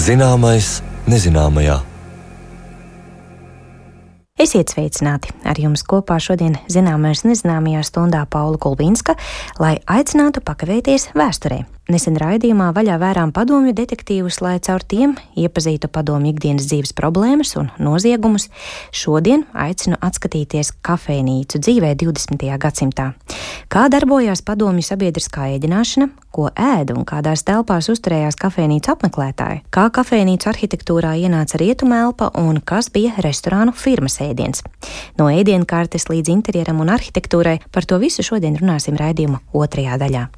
Zināmais nezināmajā. Esiet sveicināti! Ar jums kopā šodien Zināmais nezināmajā stundā Paula Kulbīnska, lai aicinātu pakavēties vēsturē. Nesen raidījumā vaļā vērām padomju detektīvus, lai caur tiem iepazītu padomju ikdienas dzīves problēmas un noziegumus. Šodien aicinu atskatīties kafejnīcu dzīvē 20. gadsimtā. Kā darbojās padomju sabiedriskā ēdināšana, ko ēda un kādās telpās uzturējās kafejnīcu apmeklētāji, kā kafejnīcu arhitektūrā ienāca rietumu elpa un kas bija restorānu firmas ēdiens. No ēdienkartes līdz interjeram un arhitektūrai par to visu šodien runāsim raidījuma otrajā daļā.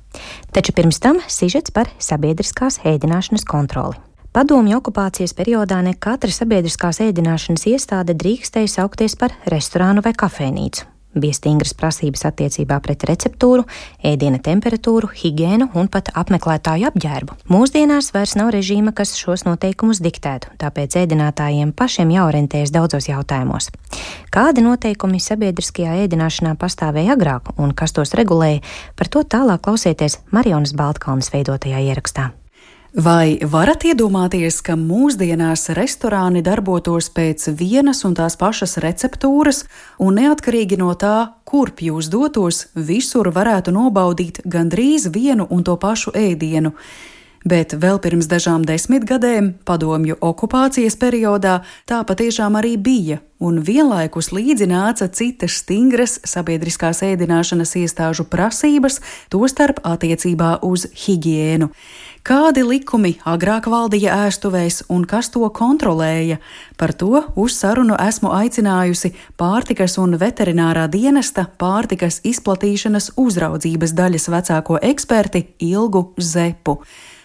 Taču pirms tam sižets par sabiedriskās ēdināšanas kontroli. Padomju okupācijas periodā ne katra sabiedriskās ēdināšanas iestāde drīkstēja saukties par restorānu vai kafejnīcu. Bija stingras prasības attiecībā pret receptūru, ēdiena temperatūru, higiēnu un pat apmeklētāju apģērbu. Mūsdienās vairs nav režīma, kas šos noteikumus diktētu, tāpēc ēdinātājiem pašiem jāorientējas daudzos jautājumos. Kādi noteikumi sabiedriskajā ēdināšanā pastāvēja agrāk un kas tos regulēja, par to tālāk klausieties Marijonas Baltkalnes veidotajā ierakstā. Vai varat iedomāties, ka mūsdienās restorāni darbotos pēc vienas un tās pašas receptūras, un neatkarīgi no tā, kurp jūs dotos, visur varētu nobaudīt gandrīz vienu un to pašu ēdienu? Bet vēl pirms dažām 10 gadiem, padomju okupācijas periodā, tā patiešām arī bija, un vienlaikus līdzi nāca citas stingras sabiedriskās ēdināšanas iestāžu prasības, tostarp attiecībā uz higiēnu. Kādi likumi agrāk valdīja ēstuvēs un kas to kontrolēja? Par to uz sarunu esmu aicinājusi pārtikas un veterinārā dienesta pārtikas izplatīšanas uzraudzības daļas vecāko eksperti Ilgu Zepu.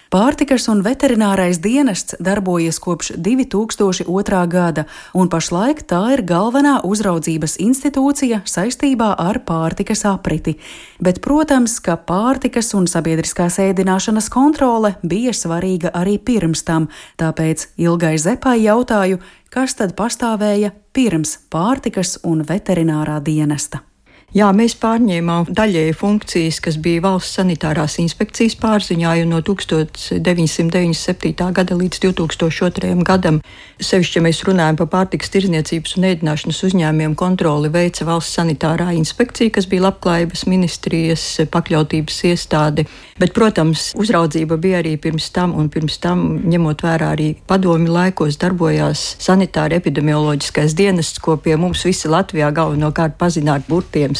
Pārtikas un veterinārais dienests darbojas kopš 2002. gada, un pašlaik tā ir galvenā uzraudzības institūcija saistībā ar pārtikas apriti. Bet, protams, ka pārtikas un sabiedriskās ēdināšanas kontrole bija svarīga arī pirms tam, tāpēc Ilgai Zepai jautāju, kas tad pastāvēja pirms pārtikas un veterinārā dienesta. Jā, mēs pārņēmām daļēji funkcijas, kas bija valsts sanitārās inspekcijas pārziņā, jo no 1997. gada līdz 2002. gadam, sevišķi, ja mēs runājam par pārtikas tirdzniecības un ēdināšanas uzņēmumiem, kontroli veica valsts sanitārā inspekcija, kas bija Labklājības ministrijas pakļautības iestāde. Bet, protams, uzraudzība bija arī pirms tam, un pirms tam, ņemot vērā arī padomju laikos, darbojās sanitāri epidemioloģiskais dienests, ko pie mums visi Latvijā galvenokārt pazina ar burtiem.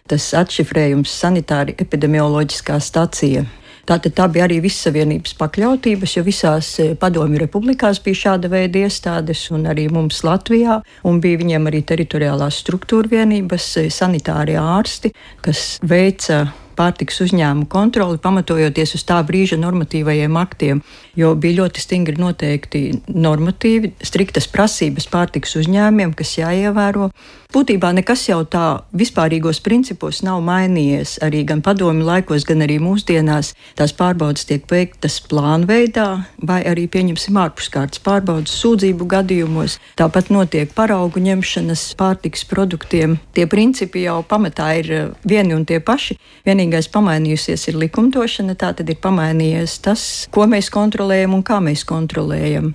Tas atšifrējums sanitāri epidemioloģiskā stacija. Tātad tā bija arī vissavienības pakļautības, jo visās padomju republikās bija šāda veida iestādes, un arī mums Latvijā, un bija viņiem arī teritoriālās struktūra vienības, sanitārie ārsti, kas veica pārtikas uzņēmumu kontroli, pamatojoties uz tā brīža normatīvajiem aktiem, jo bija ļoti stingri noteikti normatīvi, striktas prasības pārtikas uzņēmumiem, kas jāievēro. Būtībā nekas jau tā vispārīgos principos nav mainījies. Arī gan padomju laikos, gan arī mūsdienās tās pārbaudas tiek veiktas plānveidā, vai arī pieņemsim ārpuskārtas pārbaudas sūdzību gadījumos. Tāpat notiek paraugu ņemšanas pārtikas produktiem. Tie principi jau pamatā ir vieni un tie paši. Vienīgais pamainījusies ir likumdošana, tā tad ir pamainījies tas, ko mēs kontrolējam un kā mēs kontrolējam.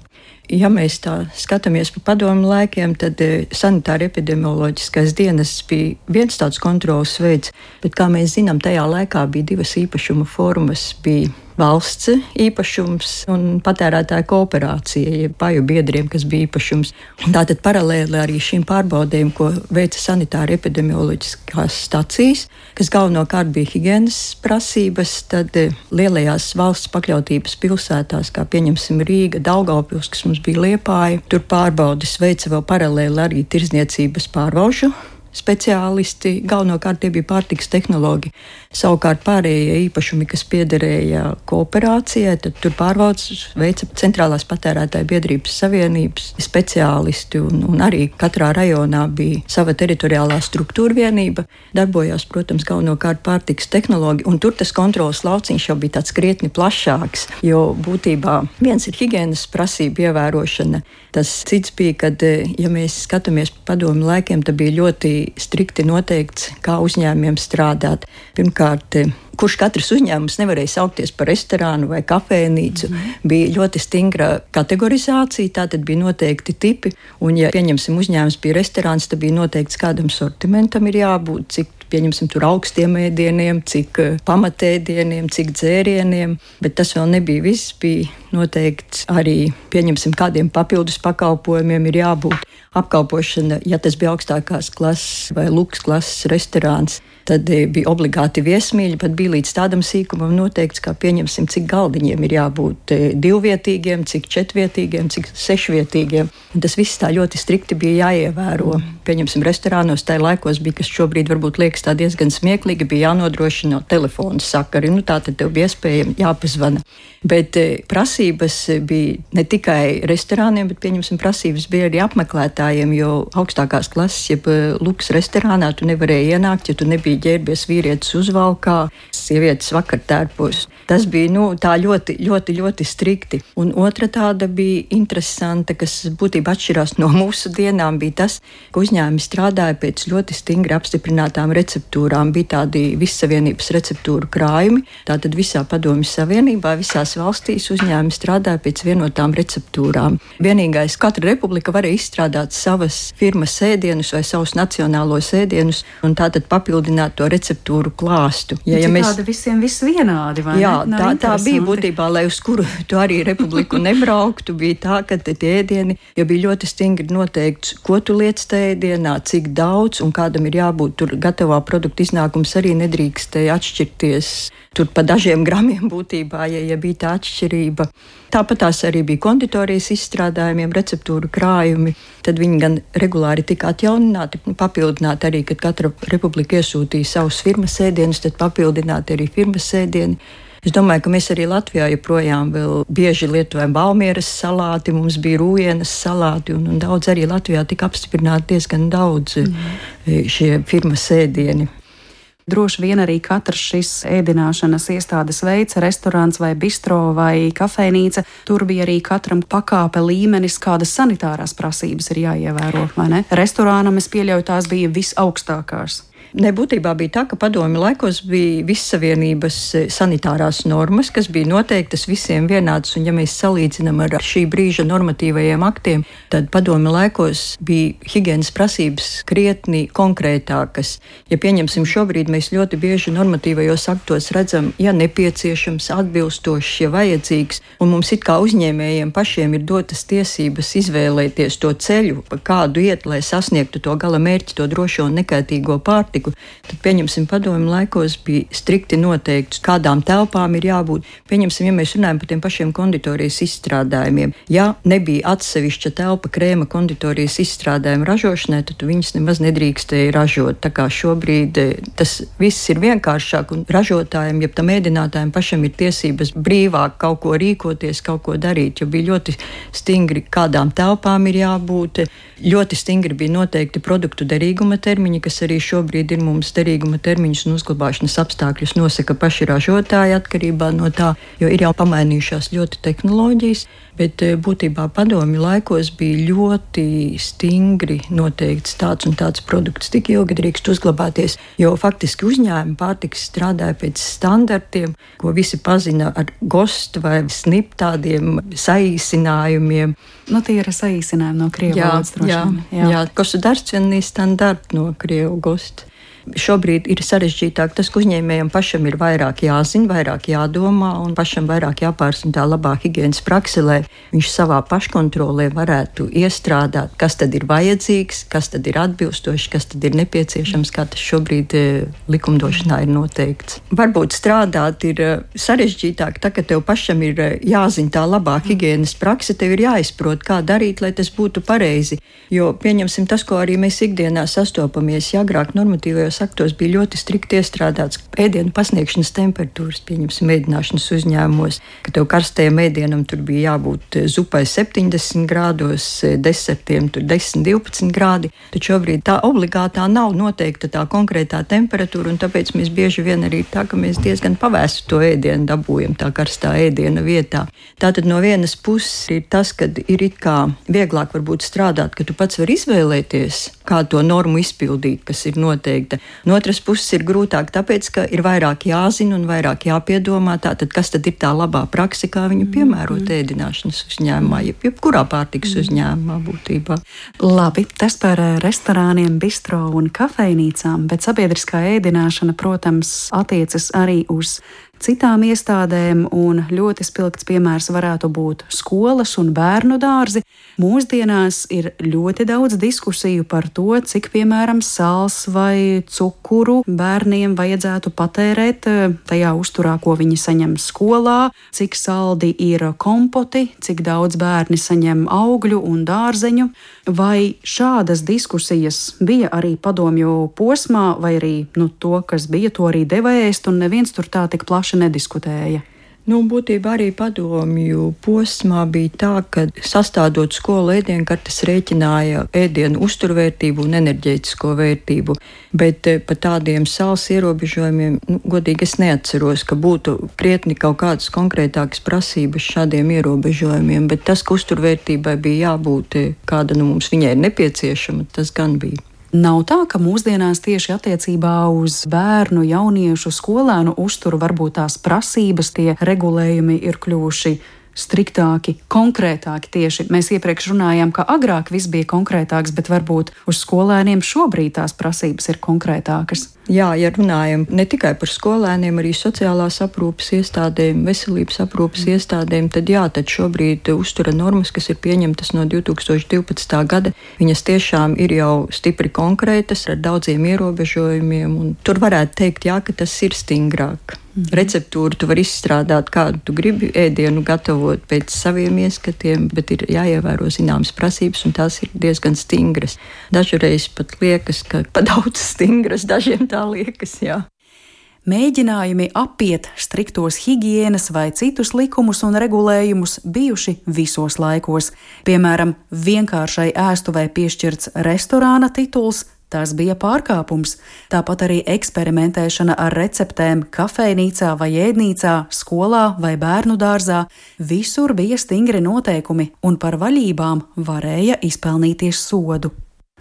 Ja mēs tā skatāmies pa padomju laikiem, tad sanitāri epidemioloģiskais dienests bija viens tāds kontrols veids, bet, kā mēs zinām, tajā laikā bija divas īpašuma formas. Bija valsts īpašums un patērētāja kooperācija, jeb paju biedriem, kas bija īpašums. Tātad paralēli arī šīm pārbaudēm, ko veica sanitāri epidemioloģiskās stacijas, kas galvenokārt bija higienas prasības, tad lielajās valsts pakļautības pilsētās, kā pieņemsim Rīga, Daugavpils, kas mums bija Liepāja, tur pārbaudes veica vēl paralēli arī tirdzniecības pārvalžu speciālisti, galvenokārt tie bija pārtikas tehnoloģi. Savukārt pārējie īpašumi, kas piederēja kooperācijai, tad tur pārvaldes veica centrālās patērētāju biedrības savienības speciālisti, un arī katrā rajonā bija sava teritoriālā struktūra vienība. Darbojās, protams, galvenokārt pārtikas tehnoloģi, un tur tas kontrolas lauciņš jau bija tāds krietni plašāks, jo būtībā viens ir higienas prasība ievērošana. Tas cits bija, kad, ja mēs skatāmies pa padomju laikiem, tad bija ļoti strikti noteikts, kā uzņēmumiem strādāt. Pirmkārt, kurš katrs uzņēmums nevarēja saukties par restorānu vai kafejnīcu, bija ļoti stingra kategorizācija, tātad bija noteikti tipi, un ja pieņemsim uzņēmums bija restorāns, tad bija noteikts, kādam sortimentam ir jābūt, cik pieņemsim tur augstiem ēdieniem, cik pamatēdieniem, cik dzērieniem, bet tas vēl nebija viss, bija noteikts arī, pieņemsim, kādiem papildus pakalpojumiem ir jābūt. Apkalpošana, ja tas bija augstākās klases vai luks klases restorāns, tad bija obligāti viesmīļi, pat bija līdz tādam sīkumam noteikts, kā pieņemsim, cik galdiņiem ir jābūt 2-vietīgiem, cik 4-vietīgiem, cik 6-vietīgiem. Un tas viss tā ļoti strikti bija jāievēro. Pieņemsim, restorānos tajā laikos bija, kas šobrīd varbūt liekas tā diezgan smieklīgi, bija jānodrošina telefonu sakari. Tā tad tev bija iespējami jāpazvana. Bet prasības bija ne tikai restorāniem, bet pieņemsim, prasības bija arī apmeklētājiem, jo augstākās klases, jeb luks restorānā tu nevarēji ienākt, ja tu nebija ģērbies vīrietis uzvalkā, sievietes vakartērpos. Tas bija tā ļoti, ļoti, ļoti strikti. Un otra tāda bija interesanta, kas būtībā atšķirās no mūsu dienām, bija tas, ka uzņēmumi strādāja pēc ļoti stingri apstiprinātām receptūrām. Bija tādi vissavienības receptūru krājumi, tātad visā Padomju Savienībā, visās valstīs uzņēmumi strādāja pēc vienotām receptūrām. Vienīgais, katra republika varēja izstrādāt savas firmas ēdienus vai savus nacionālos ēdienus un tātad papildināt to receptūru klāstu. Tādi visiem viss vienādi, vai ne? Jā, tā bija būtībā, lai uz kuru tu arī republiku nebrauktu, bija tā, ka tie ēdieni jau bija ļoti stingri noteikts, ko tu liec tajā ēdienā, cik daudz un kādam ir jābūt. Tur gatavā produkta iznākums arī nedrīkstēja atšķirties. Tur pa dažiem gramiem būtībā, ja bija tā atšķirība. Tāpat tās arī bija konditorijas izstrādājumiem, receptūru krājumi. Tad viņi gan regulāri tika atjaunināti, papildināti arī, kad katra republika iesūtīja savus firmas ēdienus, tad papildināti arī firmas ēdieni. Es domāju, ka mēs arī Latvijā joprojām vēl bieži lietojam Valmieras salāti, mums bija Rūjienas salāti, un daudz arī Latvijā tika apstiprināti diezgan daudz šie firmas ēdieni. Droši vien arī katrs šis ēdināšanas iestādes veids, restorāns vai bistro vai kafejnīca, tur bija arī katram pakāpe līmenis, kādas sanitārās prasības ir jāievēro, vai ne? Restorānam es pieļauju, tās bija visaugstākās. Būtībā bija tā, ka padomju laikos bija vissavienības sanitārās normas, kas bija noteiktas visiem vienādas, un ja mēs salīdzinām ar šī brīža normatīvajiem aktiem, tad padomju laikos bija higienas prasības krietni konkrētākas. Ja pieņemsim šobrīd, mēs ļoti bieži normatīvajos aktos redzam, ja nepieciešams, atbilstošs, ja vajadzīgs, un mums it kā uzņēmējiem pašiem ir dotas tiesības izvēlēties to ceļu, pa kādu iet, lai sasniegtu to gala mērķi, to drošo un nekaitīgo pārtiku. Tad, pieņemsim, padomju laikos bija strikti noteikts, kādām telpām ir jābūt. Pieņemsim, ja mēs runājam par tiem pašiem konditorijas izstrādājumiem. Ja nebija atsevišķa telpa krēma konditorijas izstrādājumu ražošanai, tad viņas nemaz nedrīkstēja ražot. Tā kā šobrīd tas viss ir vienkāršāk, un ražotājiem, jeb tam ēdinātājiem pašam ir tiesības brīvāk kaut ko rīkoties, kaut ko darīt, jo bija ļoti stingri, kādām telpām ir jābūt. Ļoti stingri bija noteikti produktu derīguma termiņi, kas arī šobrīd ir mums derīguma termiņus un uzglabāšanas apstākļus nosaka paši ražotāji atkarībā no tā, jo ir jau pamainījušās ļoti tehnoloģijas, bet būtībā padomju laikos bija ļoti stingri noteikts tāds un tāds produkts, tik ilgi drīkst uzglabāties, jo faktiski uzņēmumi pārtikas strādāja pēc standartiem, ko visi pazina ar GOST vai SNIP tādiem saīsinājumiem. Tie ir saīsinājumi no krievu valodas droši vien. Jā, государственный стандарт no krievu GOST. Šobrīd ir sarežģītāk tas, ka uzņēmējam pašam ir vairāk jāzina, vairāk jādomā un pašam vairāk jāpārzina tā labā higienas prakse, lai viņš savā paškontrolē varētu iestrādāt, kas tad ir vajadzīgs, kas tad ir atbilstoši, kas tad ir nepieciešams, kā tas šobrīd likumdošanā ir noteikts. Varbūt strādāt ir sarežģītāk, tā, ka tev pašam ir jāzina tā labā higienas prakse, tev ir jāizprot, kā darīt, lai tas būtu pareizi. Jo pieņemsim tas, ko arī mēs ikdienā sastopamies, ja agrāk normatīvajos aktos bija ļoti strikti iestrādāts ēdienu pasniegšanas temperatūras, pieņemsim, ēdināšanas uzņēmumos, ka tev karstajam ēdienam tur bija jābūt zupai 70 grādos, desertiem tur 10-12 grādi, tad šobrīd tā obligātā nav noteikta tā konkrētā temperatūra, un tāpēc mēs bieži vien arī tā, ka mēs diezgan pavēstu to ēdienu dabūjam tā karstā ēdiena vietā. Tātad no vienas puses ir tas, kad ir it kā vieglāk varbūt strādāt, ka tu pats vari izvēlēties, kā to normu izpildīt, kas ir noteikta. No otras puses ir grūtāk, tāpēc, ka ir vairāk jāzina un vairāk jāpiedomā, tātad kas tad ir tā labā prakse, kā viņu piemērot ēdināšanas uzņēmumā, jebkurā pārtikas uzņēmumā būtībā. Labi, tas par restorāniem, bistro un kafejnīcām, bet sabiedriskā ēdināšana, protams, attiecas arī uz citām iestādēm, un ļoti spilgts piemērs varētu būt skolas un bērnu dārzi. Mūsdienās ir ļoti daudz diskusiju par to, cik, piemēram, sāls vai cukuru bērniem vajadzētu patērēt tajā uzturā, ko viņi saņem skolā, cik saldi ir kompoti, cik daudz bērni saņem augļu un dārzeņu. Vai šādas diskusijas bija arī padomju posmā, vai arī to, kas bija, to arī deva ēst, un neviens tur tā tik plaši nediskutēja? Būtībā arī padomju posmā bija tā, ka sastādot skolu ēdienkartes rēķināja ēdienu uzturvērtību un enerģētisko vērtību, bet par tādiem sāls ierobežojumiem, godīgi es neatceros, ka būtu krietni kaut kādas konkrētākas prasības šādiem ierobežojumiem, bet tas, ka uzturvērtībai bija jābūt kāda mums viņai ir nepieciešama, tas gan bija. Nav tā, ka mūsdienās tieši attiecībā uz bērnu, jauniešu, skolēnu uzturu varbūt tās prasības, tie regulējumi ir kļuvuši striktāki, konkrētāki tieši. Mēs iepriekš runājām, ka agrāk viss bija konkrētāks, bet varbūt uz skolēniem šobrīd tās prasības ir konkrētākas. Jā, ja runājam ne tikai par skolēniem, arī sociālās aprūpes iestādēm, veselības aprūpes iestādēm, tad šobrīd uztura normas, kas ir pieņemtas no 2012. gada, viņas tiešām ir jau stipri konkrētas ar daudziem ierobežojumiem, un tur varētu teikt, ka tas ir stingrāk. Receptūru tu vari izstrādāt, kādu tu gribi ēdienu gatavot pēc saviem ieskatiem, bet ir jāievēro zināmas prasības, un tās ir diezgan stingras. Dažreiz pat liekas, ka pa daudz stingras, dažiem tā liekas, jā. Mēģinājumi apiet striktos higienas vai citus likumus un regulējumus bijuši visos laikos. Piemēram, vienkāršai ēstuvei piešķirts restorāna tituls, tas bija pārkāpums. Tāpat arī eksperimentēšana ar receptēm kafejnīcā vai ēdnīcā, skolā vai bērnu dārzā. Visur bija stingri noteikumi, un par vaļībām varēja izpelnīties sodu.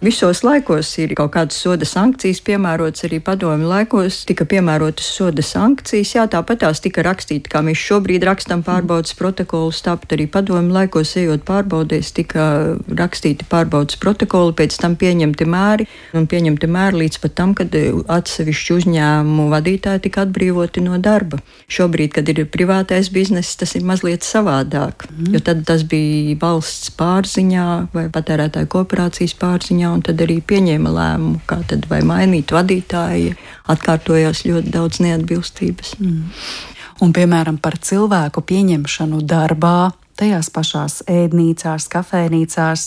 Visos laikos ir kaut kādas soda sankcijas piemērotas, arī padomju laikos tika piemērotas soda sankcijas. Jā, tāpat tās tika rakstīti, kā mēs šobrīd rakstam pārbaudas protokolus, tāpat arī padomju laikos ejot pārbaudēs tika rakstīti pārbaudas protokoli, pēc tam pieņemti mēri, un pieņemti mēri līdz pat tam, kad atsevišķi uzņēmumu vadītāji tika atbrīvoti no darba. Šobrīd, kad ir privātais bizness, tas ir mazliet savādāk, jo tad tas bija valsts pārziņā vai patērētāju kooperācijas pārziņā, un tad arī pieņēma lēmumu, kā tad vai mainīt vadītāji, atkārtojās ļoti daudz neatbilstības. Un, piemēram, par cilvēku pieņemšanu darbā, tajās pašās ēdnīcās, kafejnīcās,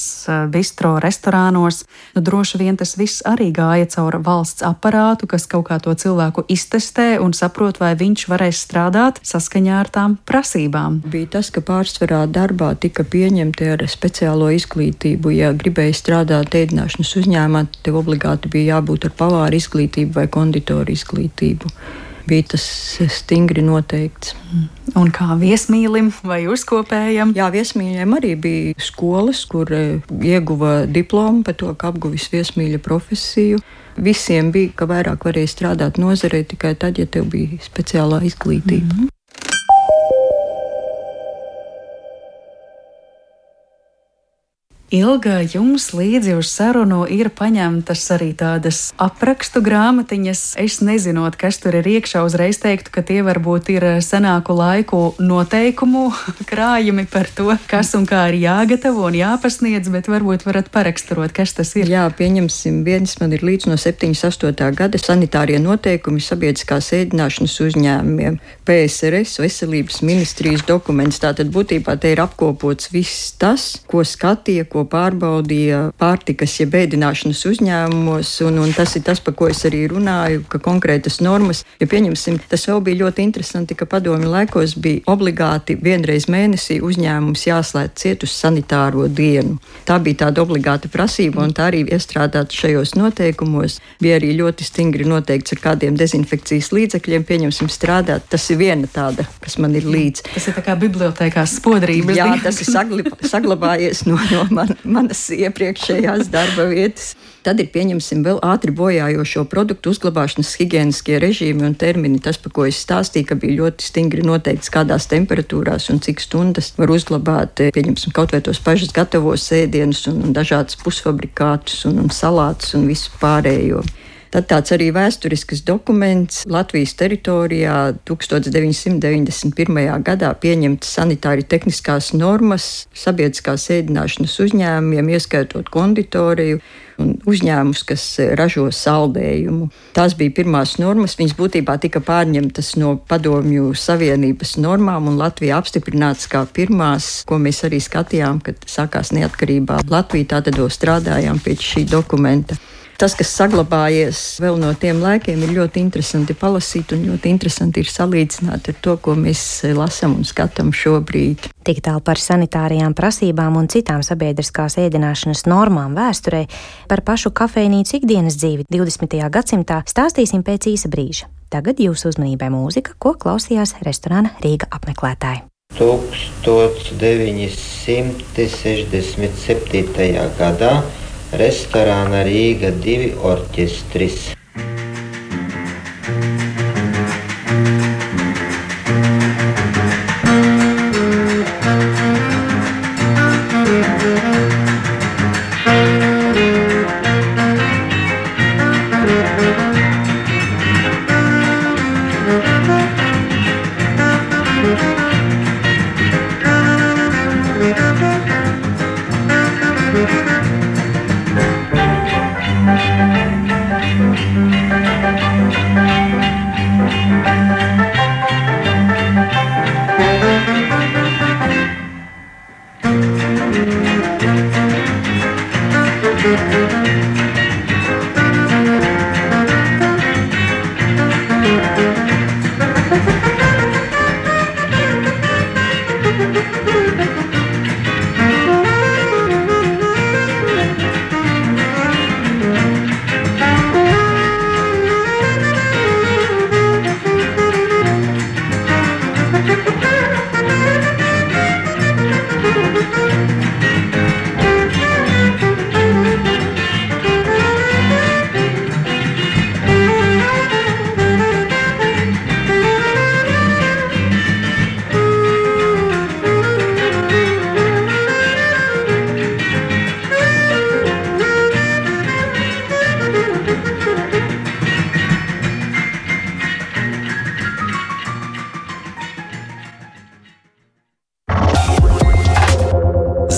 bistro, restorānos, droši vien tas viss arī gāja caur valsts aparātu, kas kaut kā to cilvēku iztestē un saprot, vai viņš varēs strādāt saskaņā ar tām prasībām. Bija tas, ka pārsvarā darbā tika pieņemti ar speciālo izglītību. Ja gribēja strādāt ēdināšanas uzņēmumā, tev obligāti bija jābūt ar pavāra izglītību vai konditoru izglītību. Bija tas stingri noteikts. Un kā viesmīlim vai uzkopējam? Jā, viesmīļiem arī bija skolas, kur ieguva diplomu par to, ka apguvis viesmīļa profesiju. Visiem bija, ka vairāk varēja strādāt nozarē tikai tad, ja tev bija speciālā izglītība. Ilga, jums līdzi uz sarunu ir paņemtas arī tādas aprakstu grāmatiņas. Es nezinot, kas tur ir iekšā, uzreiz teiktu, ka tie varbūt ir senāku laiku noteikumu krājumi par to, kas un kā ir jāgatavo un jāpasniedz, bet varbūt varat paraksturot, kas tas ir. Jā, pieņemsim, viens man ir līdz no 78. gada sanitārie noteikumi sabiedriskās ēdināšanas uzņēmumiem, PSRS, veselības ministrijas dokuments. Tātad būtībā te ir apkopots viss tas, ko skatīja, ko pārbaudīja pārtikas jeb ēdināšanas uzņēmumos, un tas ir tas, par ko es arī runāju, ka konkrētas normas, ja pieņemsim, tas vēl bija ļoti interesanti, ka padomju laikos bija obligāti vienreiz mēnesī uzņēmums jāslēdz ciet uz sanitāro dienu. Tā bija tāda obligāta prasība, un tā arī iestrādāta šajos noteikumos. Bija arī ļoti stingri noteikts, ar kādiem dezinfekcijas līdzekļiem pieņemsim strādāt. Tas ir viena tāda, kas man ir līdz. Tas ir tā kā bibliotēkās spodrības. Jā, tas ir saglabājies no manas iepriekšējās darba vietas. Tad ir, pieņemsim, vēl ātri bojājošo produktu uzglabāšanas higieniskie režīmi un termini. Tas, par ko es stāstīju, ka bija ļoti stingri noteikts, kādās temperatūrās un cik stundas var uzglabāt, pieņemsim, kaut vai tos pašus gatavos ēdienus un dažādas pusfabrikātus un salātus un visu pārējo. Tad tāds arī vēsturisks dokuments Latvijas teritorijā 1991. gadā pieņemtas sanitāri tehniskās normas sabiedriskās ēdināšanas uzņēmumiem, ieskaitot konditoriju un uzņēmumus, kas ražo saldējumu. Tās bija pirmās normas, viņas būtībā tika pārņemtas no Padomju Savienības normām un Latvija apstiprināts kā pirmās, ko mēs arī skatījām, kad sākās neatkarībā Latvija, tātad strādājām pēc šī dokumenta. Tas, kas saglabājies vēl no tiem laikiem, ir ļoti interesanti palasīt un ļoti interesanti ir salīdzināt ar to, ko mēs lasām un skatām šobrīd. Tik tālu par sanitārijām prasībām un citām sabiedriskās ēdināšanas normām vēsturē. Par pašu kafejnīcu ikdienas dzīvi 20. gadsimtā stāstīsim pēc īsa brīža. Tagad jūsu uzmanībai mūzika, ko klausījās restorāna Rīga apmeklētāji. 1967. gadā restorāna Rīga 2 orķestris.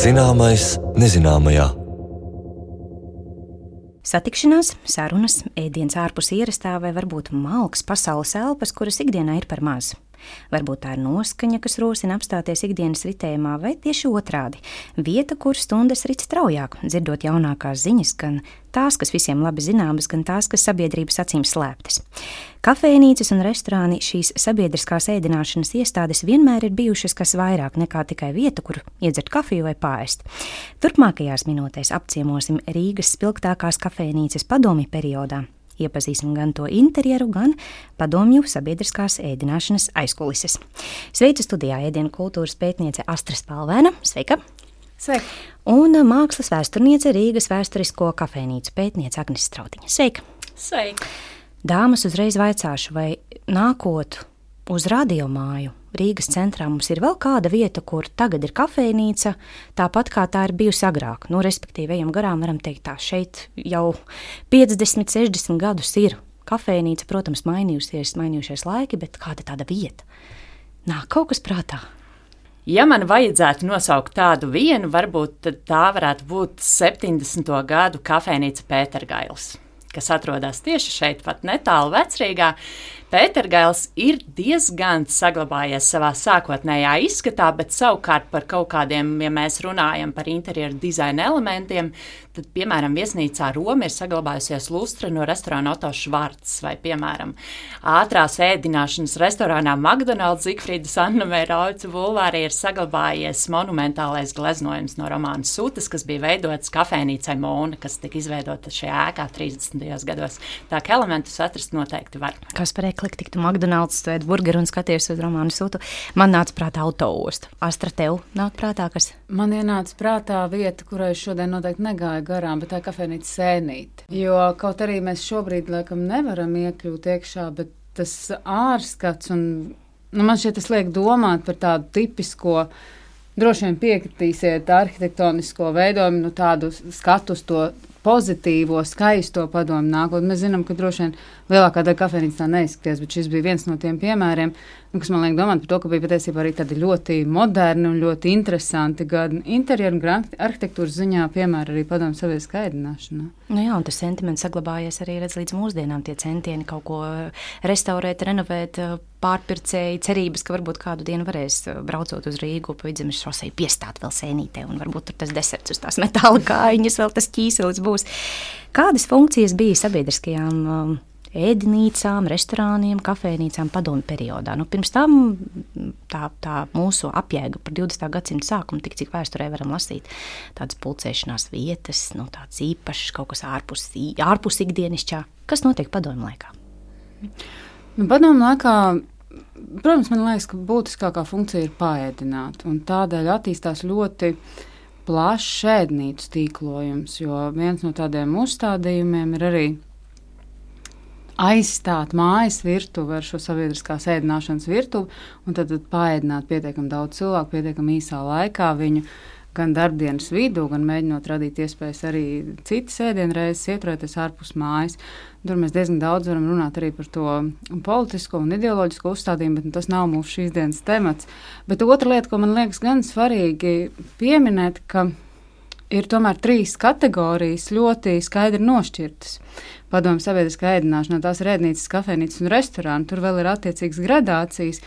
Zināmais nezināmajā. Satikšanās, sarunas, ēdiens ārpus ierastā vai varbūt malks pasaules elpas, kuras ikdienā ir par maz. Varbūt tā ir noskaņa, kas rosina apstāties ikdienas ritējumā, vai tieši otrādi – vieta, kur stundas rit straujāk, dzirdot jaunākās ziņas, gan tās, kas visiem labi zināmas, gan tās, kas sabiedrības acīm slēptas. Kafejnīcas un restorāni, šīs sabiedriskās ēdināšanas iestādes vienmēr ir bijušas kas vairāk nekā tikai vieta, kur iedzert kafiju vai pārēst. Turpmākajās minūtēs apciemosim Rīgas spilgtākās kafejnīcas padomju periodā. Iepazīsim gan to interjeru, gan padomju sabiedriskās ēdināšanas aizkulises. Sveicu studijā ēdienu kultūras pētniece Astra Spalvēna. Sveika! Sveika! Un mākslas vēsturniece Rīgas vēsturisko kafejnīcu pētniece Agnes Strautiņa. Sveika! Sveika! Dāmas, uzreiz vaicāšu, vai nākot uz radiomāju Rīgas centrā mums ir vēl kāda vieta, kur tagad ir kafejnīca, tāpat kā tā ir bijusi agrāk. Nu, respektīvi, ejam garām, varam teikt tā, šeit jau 50, 60 gadus ir kafejnīca, protams, mainījušies laiki, bet kāda tāda vieta? Nāk kaut kas prātā. Ja man vajadzētu nosaukt tādu vienu, varbūt tad tā varētu būt 70. gadu kafejnīca Pētergailis, kas atrodas tieši šeit, pat netālu Vecrīgā. Pētergails ir diezgan saglabājies savā sākotnējā izskatā, bet savukārt par kaut kādiem, ja mēs runājam par interjeru dizaina elementiem, tad, piemēram, viesnīcā Roma ir saglabājusies lustra no restorāna Otto Švarts, vai, piemēram, ātrās ēdināšanas restorānā McDonald's Zigfrīdas Anna Rauca bulvārī ir saglabājies monumentālais gleznojums no Romāna Sutas, kas bija veidots kafejnīcai Mona, kas tika izveidota šajā ēkā 30. gados. Tā kā elementus atrast noteikti var. Kas par ekliktu, tiktu McDonald's, tu ēd burgeru un skaties uz Romānu Sutu. Man nāca prātā autoosta. Astra, tev nāk prātā, kas? Man ienāca prātā vieta, kurai šodien noteikti negāja garām, bet tā kafejnīca Sēnīte. Jo kaut arī mēs šobrīd laikam nevaram iekļūt iekšā, bet tas ārskats un, man šķiet, tas liek domāt par tādu tipisko, droši vien piekritīsiet arhitektonisko veidojumu, tādu skatu uz to pozitīvo, skaisto padomu nākotnē. Mēs zinām, ka droši vien lielākā daļa kafejnīcas tā neizskaties, bet šis bija viens no tiem piemēriem, kas man liek domāt par to, ka bija patiesībā arī tādi ļoti moderni un ļoti interesanti gan interjeru, gan arhitektūras ziņā piemēri arī padomu sabiedriskā ēdināšanā. Nu jā, un tas sentiments saglabājies arī līdz mūsdienām, tie centieni kaut ko restaurēt, renovēt, pārpircēji, cerības, ka varbūt kādu dienu varēs braucot uz Rīgu pa Vidzemes šoseju piestāt vēl Sēnītē, un varbūt tur tas deserts uz tās metāla kājiņas, vēl tas ķīselis būs. Kādas funkcijas bija sabiedriskajām ēdinīcām, restorāniem, kafejnīcām padomu periodā? Nu, pirms tam tā mūsu apjēga par 20. gadsimta sākumu, tik cik vēsturē varam lasīt, tādas pulcēšanās vietas, tādas īpašas, kaut kas ārpus ikdienišķā. Kas notiek padomu laikā? Padomu laikā, protams, man liekas, ka būtiskākā funkcija ir paēdināt, un tādēļ attīstās ļoti plašs ēdnīcu tīklojums, jo viens no tādiem uzstādījumiem ir arī aizstāt mājas virtuvi ar šo sabiedriskās ēdināšanas virtuvi, un tad paēdināt pietiekami daudz cilvēku, pietiekami īsā laikā viņu gan darbdienas vidū, gan mēģinot radīt iespējas arī citas ēdienreizes ieturēties ārpus mājas. Tur mēs diezgan daudz varam runāt arī par to politisko un ideoloģisko uzstādījumu, bet tas nav mūsu šīs dienas temats. Bet otra lieta, ko man liekas gan svarīgi pieminēt, ka ir tomēr 3 kategorijas ļoti skaidri nošķirtas. Padomu sabiedriskā ēdināšanā, tās ir ēdnīcas, kafejnīcas un restorāni, tur vēl ir attiecīgas gradācijas,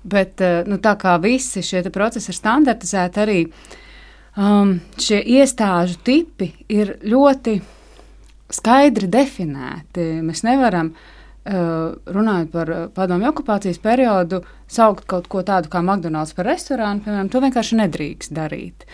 bet tā kā visi šie procesi ir standartizēti arī, šie iestāžu tipi ir ļoti skaidri definēti. Mēs nevaram, runājot par padomju okupācijas periodu, saukt kaut ko tādu kā McDonald's par restorānu, piemēram, to vienkārši nedrīkst darīt.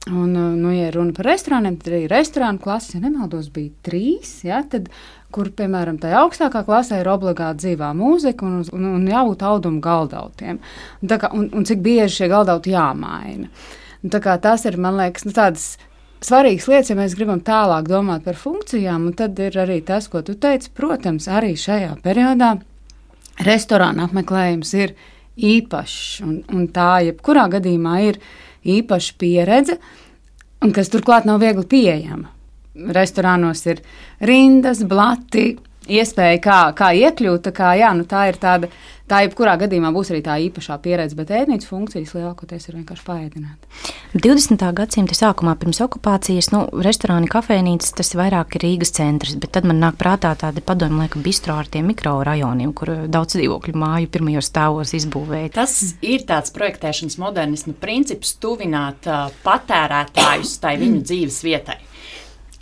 Un, ja runa par restorāniem, tad arī restorānu klases, ja nemaldos, bija 3, ja, tad, kur, piemēram, tajā augstākā klasē ir obligāti dzīvā mūzika un jābūt audumu galdautiem. Un cik bieži šie galdauti jāmaina. Tā kā tas ir, man liekas, tādas svarīgas lietas, ja mēs gribam tālāk domāt par funkcijām, un tad ir arī tas, ko tu teici, protams, arī šajā periodā restorāna apmeklējums ir īpašs, un tā jebkurā gadījumā ir īpaša pieredze, un kas turklāt nav viegli pieejama. Restorānos ir rindas, blati, iespēja kā iekļūt, tā ir tāda, tā jebkurā gadījumā būs arī tā īpašā pieredze, bet ēdnīcas funkcijas lielākoties ir vienkārši paēdināt. 20. gadsimta sākumā pirms okupācijas, restorāni, kafejnīcas, tas vairāk ir Rīgas centrs, bet tad man nāk prātā tādi padomju laika bistro ar tiem mikrorajoniem, kur daudz dzīvokļu māju pirmajos stāvos izbūvēja. Tas ir tāds projektēšanas modernismu princips tuvināt patērētājus tai viņu dzīves vietai.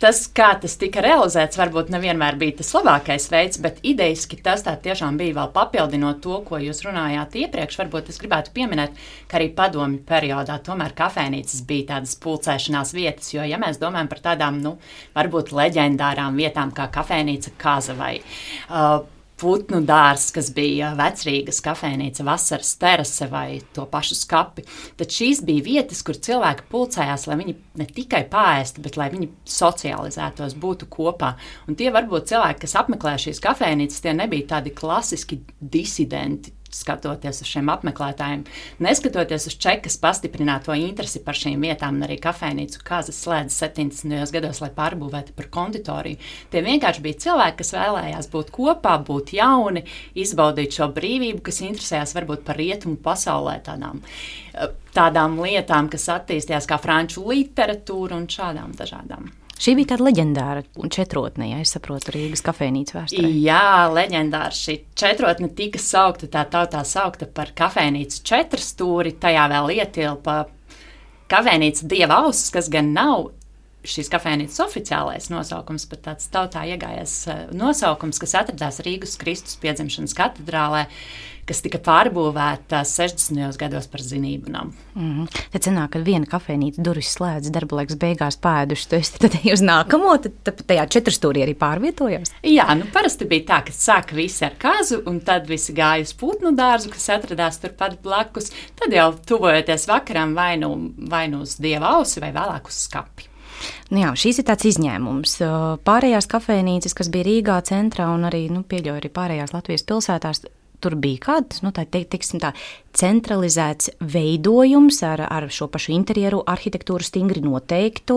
Tas, kā tas tika realizēts, varbūt nevienmēr bija tas labākais veids, bet idejiski tas tā tiešām bija vēl papildinot to, ko jūs runājāt iepriekš. Varbūt es gribētu pieminēt, ka arī padomju periodā tomēr kafejnīcas bija tādas pulcēšanās vietas, jo, ja mēs domājam par tādām, varbūt leģendārām vietām kā kafejnīca Kaza vai Putnu dārs, kas bija Vecrīgas kafejnīca, Vasaras terase vai to pašu skapi, tad šīs bija vietas, kur cilvēki pulcējās, lai viņi ne tikai paēstu, bet lai viņi socializētos, būtu kopā. Un tie varbūt cilvēki, kas apmeklē šīs kafejnīcas, tie nebija tādi klasiski disidenti, skatoties uz šiem apmeklētājiem, neskatoties uz Čekas pastiprināto interesi par šīm vietām, un arī kafejnīcu Kazas slēdz 70. gados, lai pārbūvētu par konditoriju. Tie vienkārši bija cilvēki, kas vēlējās būt kopā, būt jauni, izbaudīt šo brīvību, kas interesējās varbūt par rietumu pasaulē tādām lietām, kas attīstījās kā franču literatūra un šādām dažādām. Šī bija tāda leģendāra četrotne, ja es saprotu, Rīgas kafejnīcu vēsturē. Jā, leģendāra šī četrotne tika saukta, tā tautā saukta par kafejnīcu četrstūri, tajā vēl ietilpa kafejnīca Dieva auss, kas gan nav šīs kafejnīcas oficiālais nosaukums, bet tāds tautā iegājies nosaukums, kas atradās Rīgas Kristus piedzimšanas katedrālē, kas tika pārbūvēta 60. gados par zinību namu. Tad sanāk, ka viena kafejnīca durvis slēdz, darba laiks beigās pēduši, tu esi tad uz nākamo, tad tajā četrstūrī arī pārvietojās? Jā, parasti bija tā, ka sāka visi ar Kazu, un tad visi gāja uz putnu dārzu, kas atradās turpat blakus, tad jau tuvojoties vakaram vai nu uz Dieva ausi vai vēlāk uz skapi. Jā, šīs ir tāds izņēmums. Pārējās kafejnīcas, kas bija Rīgā centrā un arī, pieļauju arī pārējās Latvijas pilsētās, tur bija kāds, tā centralizēts veidojums ar šo pašu interjeru, arhitektūru stingri noteiktu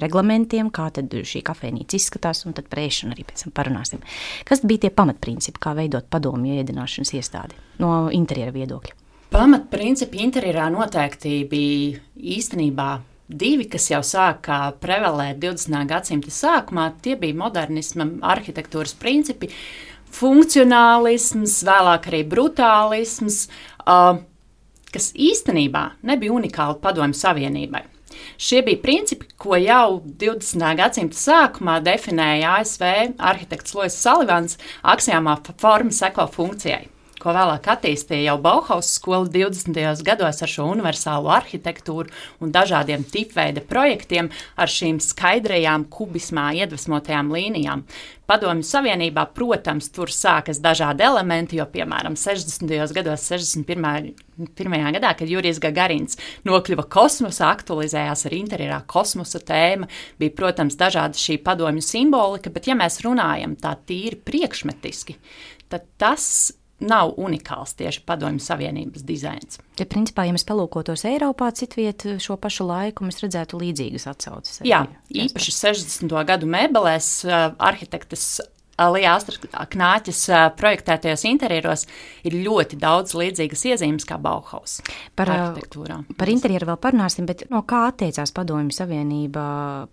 reglamentiem, kā tad šī kafejnīca izskatās, un tad par ēšanu arī pēc tam parunāsim. Kas bija tie pamatprincipi, kā veidot padomju ēdināšanas iestādi no interjera viedokļa? Pamatprincipi interjerā noteikti bija īstenībā divi, kas jau sāka prevalēt 20. gadsimta sākumā. Tie bija modernisma arhitektūras principi, funkcionālisms, vēlāk arī brutālisms, kas īstenībā nebija unikāli Padomju Savienībai. Šie bija principi, ko jau 20. gadsimta sākumā definēja ASV arhitekts Lois Salivans aksiomā forma seko funkcijai, ko vēlāk attīstīja jau Bauhaus skola 20. gados ar šo universālo arhitektūru un dažādiem tipveida projektiem ar šīm skaidrajām kubismā iedvesmotajām līnijām. Padomju Savienībā, protams, tur sākas dažādi elementi, jo, piemēram, 60. gados, 61. gadā, kad Jurijs Gagarins nokļuva kosmosā, aktualizējās ar interjerā kosmosa tēma, bija, protams, dažāda šī padomju simbolika, bet ja mēs runājam tā tīri priekšmetiski, tad tas nav unikāls tieši Padomju Savienības dizains. Ja, principā, ja mēs palūkotos Eiropā citviet šo pašu laiku, mēs redzētu līdzīgas atsauces. Jā, īpaši 60. gadu mēbelēs arhitektes Lija Knāķes projektētajos interjeros ir ļoti daudz līdzīgas iezīmes kā Bauhaus arhitektūrā. Par interjeru vēl parunāsim, bet no kā atteicās Padomju Savienība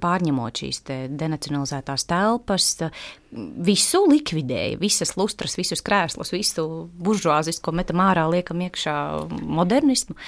pārņemot šīs denacionalizētās telpas, visu likvidēja, visas lustras, visus krēslus, visu buržuāzisko metam ārā, liekam iekšā modernismu?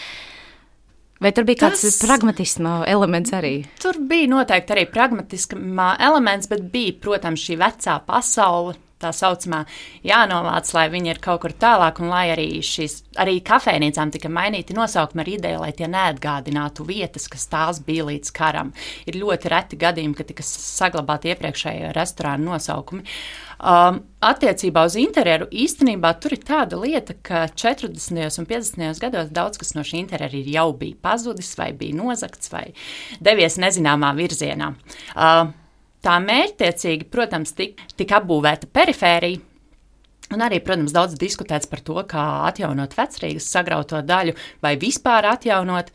Vai tur bija kāds pragmatisma elements arī? Tur bija noteikti arī pragmatisma elements, bet bija, protams, šī vecā pasaule, tā saucamā jānovāc, lai viņi ir kaut kur tālāk, un lai arī kafejnīcām tika mainīti nosaukumi ar ideju, lai tie neatgādinātu vietas, kas tās bija līdz karam. Ir ļoti reti gadījumi, ka tika saglabāti iepriekšējo restorānu nosaukumi. Attiecībā uz interjeru īstenībā tur ir tāda lieta, ka 40. un 50. gados daudz kas no šī interjera jau bija pazudis, vai bija nozagts, vai devies nezināmā virzienā. Tā mērķtiecīgi, protams, tika apbūvēta perifērija, un arī, protams, daudz diskutēts par to, kā atjaunot Vecrīgas sagrauto daļu vai vispār atjaunot.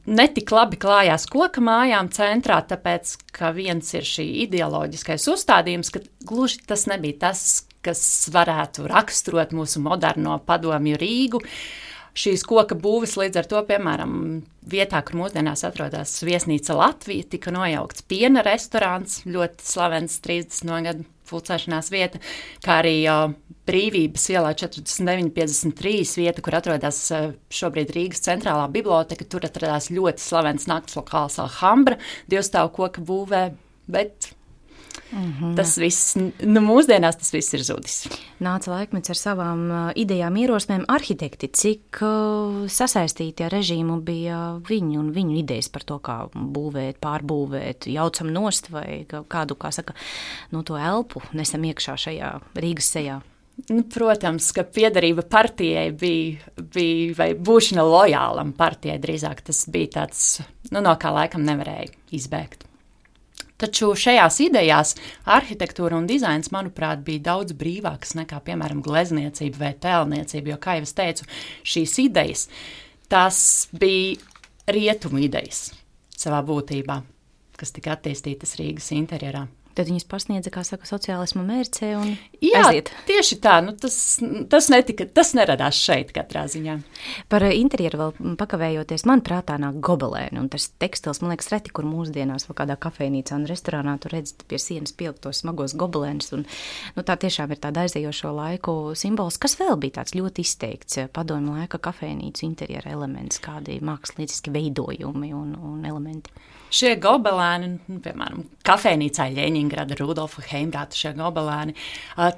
Netik labi klājās koka mājām centrā, tāpēc, ka viens ir šī ideoloģiskais uzstādījums, ka gluži tas nebija tas, kas varētu raksturot mūsu moderno padomju Rīgu. Šīs koka būves līdz ar to, piemēram, vietā, kur mūsdienās atrodas viesnīca Latvija, tika nojaukts piena restorāns, ļoti slavens 30. gadu pulcēšanās vieta, kā arī Brīvības ielā 4953 vieta, kur atrodas šobrīd Rīgas centrālā biblioteka. Tur atradās ļoti slavens nakts lokāls Alhambra, divstāvu koka būvē, bet tas viss, mūsdienās tas viss ir zudis. Nāca laikmets ar savām idejām, ierosmēm. Arhitekti, cik sasaistīti ar režīmu bija viņi un viņu idejas par to, kā būvēt, pārbūvēt, jaucam nost vai kādu, kā saka, to elpu nesam iekšā šajā Rīgas sejā? Protams, ka piederība partijai bija vai būšana lojālam partijai drīzāk. Tas bija tāds, no kā laikam nevarēja izbēgt. Taču šajās idejās arhitektūra un dizains, manuprāt, bija daudz brīvākas nekā, piemēram, glezniecība vai tēlniecība, jo, kā jau es teicu, šīs idejas, tās bija rietumu idejas savā būtībā, kas tika attīstītas Rīgas interjerā. Tad viņas pasniedza, kā saka, sociālismu mērcē un aiziet. Tieši tā, tas neradās šeit katrā ziņā. Par interjeru vēl pakavējoties, man prātā nāk gobelēni, un tas tekstils, man liekas, reti, kur mūsdienās vai kādā kafejnīcā un restorānā tu redzi pie sienas pieliktos smagos gobelēnus, un tā tiešām ir tāda aizējošo laiku simbols. Kas vēl bija tāds ļoti izteikts padomju laika kafejnīcu interjera elements, kādi mākslinieciski veidojumi un elementi? Šie gobelēni, piemēram, kafejnīcā Ļeņingrada, Rudolfa Heimrāta šie gobelēni,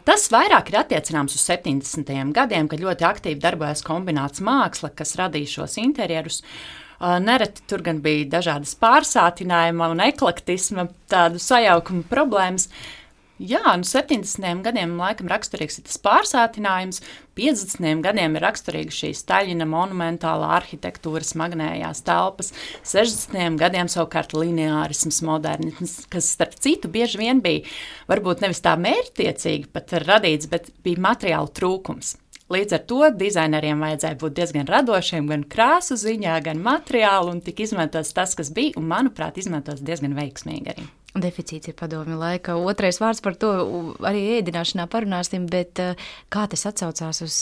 tas vairāk ir attiecināms uz 70. gadiem, kad ļoti aktīvi darbojas kombināts māksla, kas radīja šos interjerus. Nereti tur gan bija dažādas pārsātinājuma un eklektisma, tādu sajaukumu problēmas. Jā, 70. gadiem laikam raksturīgs ir tas pārsātinājums, 50. gadiem ir raksturīga šī Staļina monumentālā arhitektūra, smagnējās telpas, 60. gadiem savukārt lineārisms, modernisms, kas starp citu bieži vien bija varbūt nevis tā mērķtiecīgi pat radīts, bet bija materiālu trūkums. Līdz ar to dizaineriem vajadzēja būt diezgan radošiem gan krāsu ziņā, gan materiālu, un tika izmantots tas, kas bija, un, manuprāt, izmantots diezgan veiksmīgi arī. Deficīts ir padomju laika. Otrais vārds par to arī ēdināšanā parunāsim, bet kā tas atsaucās uz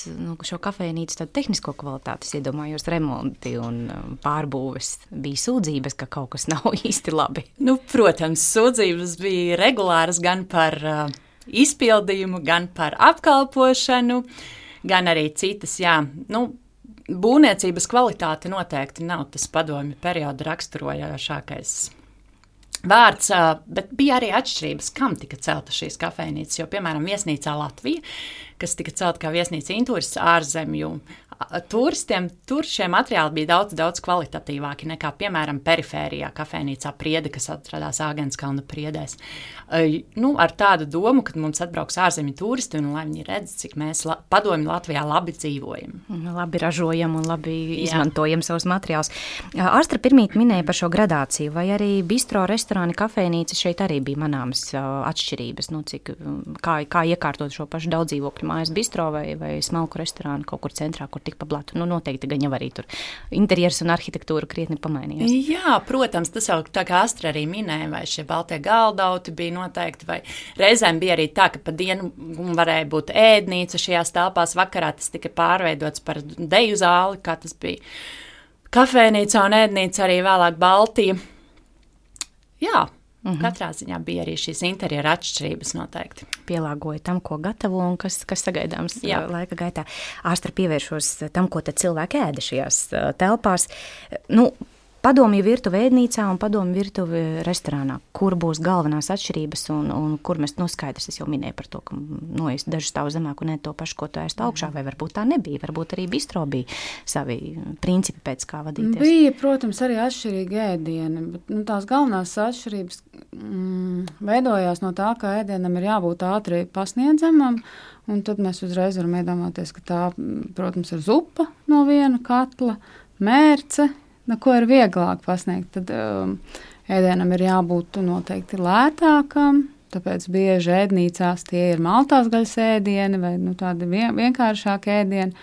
šo kafejnīcu tādu tehnisko kvalitāti? Es iedomājos remonti un pārbūves. Bija sūdzības, ka kaut kas nav īsti labi. Protams, sūdzības bija regulāras gan par izpildījumu, gan par apkalpošanu, gan arī citas, jā. Būvniecības kvalitāte noteikti nav tas padomju perioda raksturojošākais vārds, bet bija arī atšķirības, kam tika celta šīs kafejnīcas, jo, piemēram, viesnīcā Latvija, kas tika celta kā viesnīca Intūris ārzemju turistiem, tur šie materiāli bija daudz kvalitatīvāki nekā, piemēram, perifērijā kafejnīcā Priede, kas atradās Āgenskalna priedēs. Ar tādu domu, ka mums atbrauks ārzemju turisti un lai viņi redz, cik mēs padomju Latvijā labi dzīvojam. Labi ražojam un labi izmantojam savus materiālus. Ārstra pirmīt minēja par šo gradāciju, vai arī bistro, restorāni, kafejnīca šeit arī bija manāmas atšķirības, kā iekārtot šo pašu daudzdzīvokļu mājas bistro vai smalku restorānu kaut kur centrā, kur tik pa blatu. Noteikti gan jau arī tur interjers un arhitektūra krietni pamainījās. Jā, protams, tas jau tā kā Astra arī minēja, vai šie baltie galdauti bija noteikti, vai reizēm bija arī tā, ka pa dienu varēja būt ēdnīca šajās telpās, vakarā tas tika pārveidots par deju zāli, kā tas bija kafejnīca un ēdnīca arī vēlāk Baltija. Jā. Katrā ziņā bija arī šīs interjera atšķirības noteikti. Pielāgoja tam, ko gatavo un kas sagaidāms laika gaitā. Ārstra pievēršos tam, ko tad cilvēki ēda šajās telpās. Padomju virtuve ēdnīcā un padomju virtuve restorānā. Kur būs galvenās atšķirības un kur mēs skaidrs, es jau minēju par to, ka es dažu stāvu zemāk un ne to pašu, ko tu ēst augšā, vai varbūt tā nebija, varbūt arī bistro bija savi principi pēc kā vadīties. Bija, protams, arī atšķirīgi ēdieni, bet tās galvenās atšķirības veidojās no tā, ka ēdienam ir jābūt ātri pasniedzamam, un tad mēs uzreiz varam iedomāties, ka tā, protams, ir zupa no viena katla, mērce, ko ir vieglāk pasniegt, tad ēdienam ir jābūt noteikti lētākam, tāpēc bieži ēdnīcās tie ir maltās gaļas ēdieni vai tādi vienkāršāki ēdieni.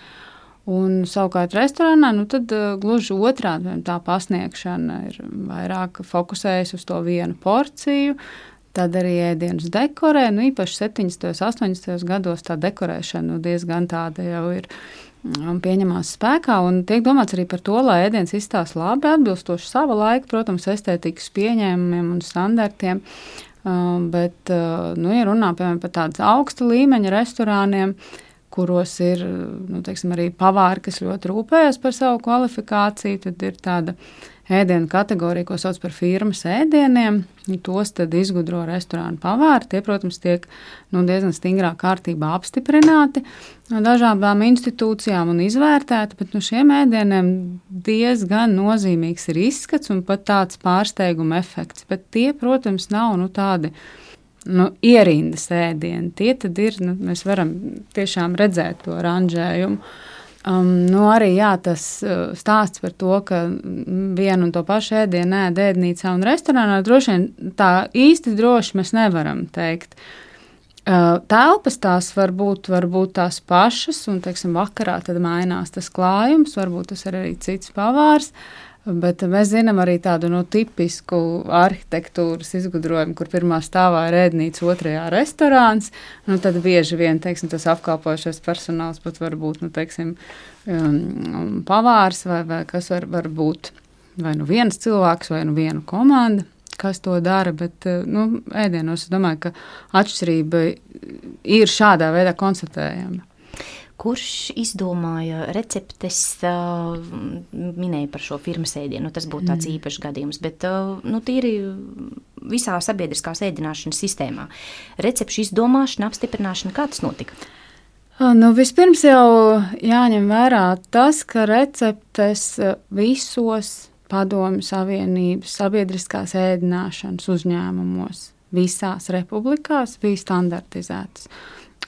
Un savukārt restorānā, tad gluži otrādi tā pasniegšana ir vairāk fokusējas uz to vienu porciju, tad arī ēdienus dekorē, īpaši 70. 80. gados tā dekorēšana diezgan tāda jau ir pieņemās spēkā, un tiek domāts arī par to, lai ēdiens izstāsta labi, atbilstoši sava laika, protams, estētikas pieņēmumiem un standartiem, bet, ja runā, piemēram, par tādas augsta līmeņa restorāniem, kuros ir, arī pavāri, kas ļoti rūpējas par savu kvalifikāciju, tad ir tāda ēdienu kategorija, ko sauc par firmas ēdieniem. Tos tad izgudro restorānu pavāri. Tie, protams, tiek diezgan stingrā kārtībā apstiprināti dažādām institūcijām un izvērtēti, bet šiem ēdieniem diezgan nozīmīgs ir izskats un pat tāds pārsteiguma efekts. Bet tie, protams, nav tādi ierindas ēdieni. Tie tad ir, mēs varam tiešām redzēt to ranžējumu. Arī tas stāsts par to, ka vienu un to pašu ēdienu ēd ēdnīcā un restorānā, droši vien tā īsti droši mēs nevaram teikt. Telpas tās var būt tās pašas, un, teiksim, vakarā tad mainās tas klājums, varbūt tas ir arī cits pavārs. Bet mēs zinām arī tādu tipisku arhitektūras izgudrojumu, kur pirmā stāvā ir ēdnīca, otrajā restorāns. Tad bieži vien, teiksim, tas apkalpošais personāls pat var būt, teiksim, pavārs vai kas var būt vai viens cilvēks vai viena komanda, kas to dara. Bet ēdienos es domāju, ka atšķirība ir šādā veidā konstatējama. Kurš izdomāja receptes, minēja par šo firmas ēdienu, tas būtu tāds īpašs gadījums, bet tīri visā sabiedriskās ēdināšanas sistēmā. Recepšu izdomāšana, apstiprināšana, kā tas notika? Vispirms jau jāņem vērā tas, ka receptes visos Padomju Savienības sabiedriskās ēdināšanas uzņēmumos visās republikās bija standartizētas.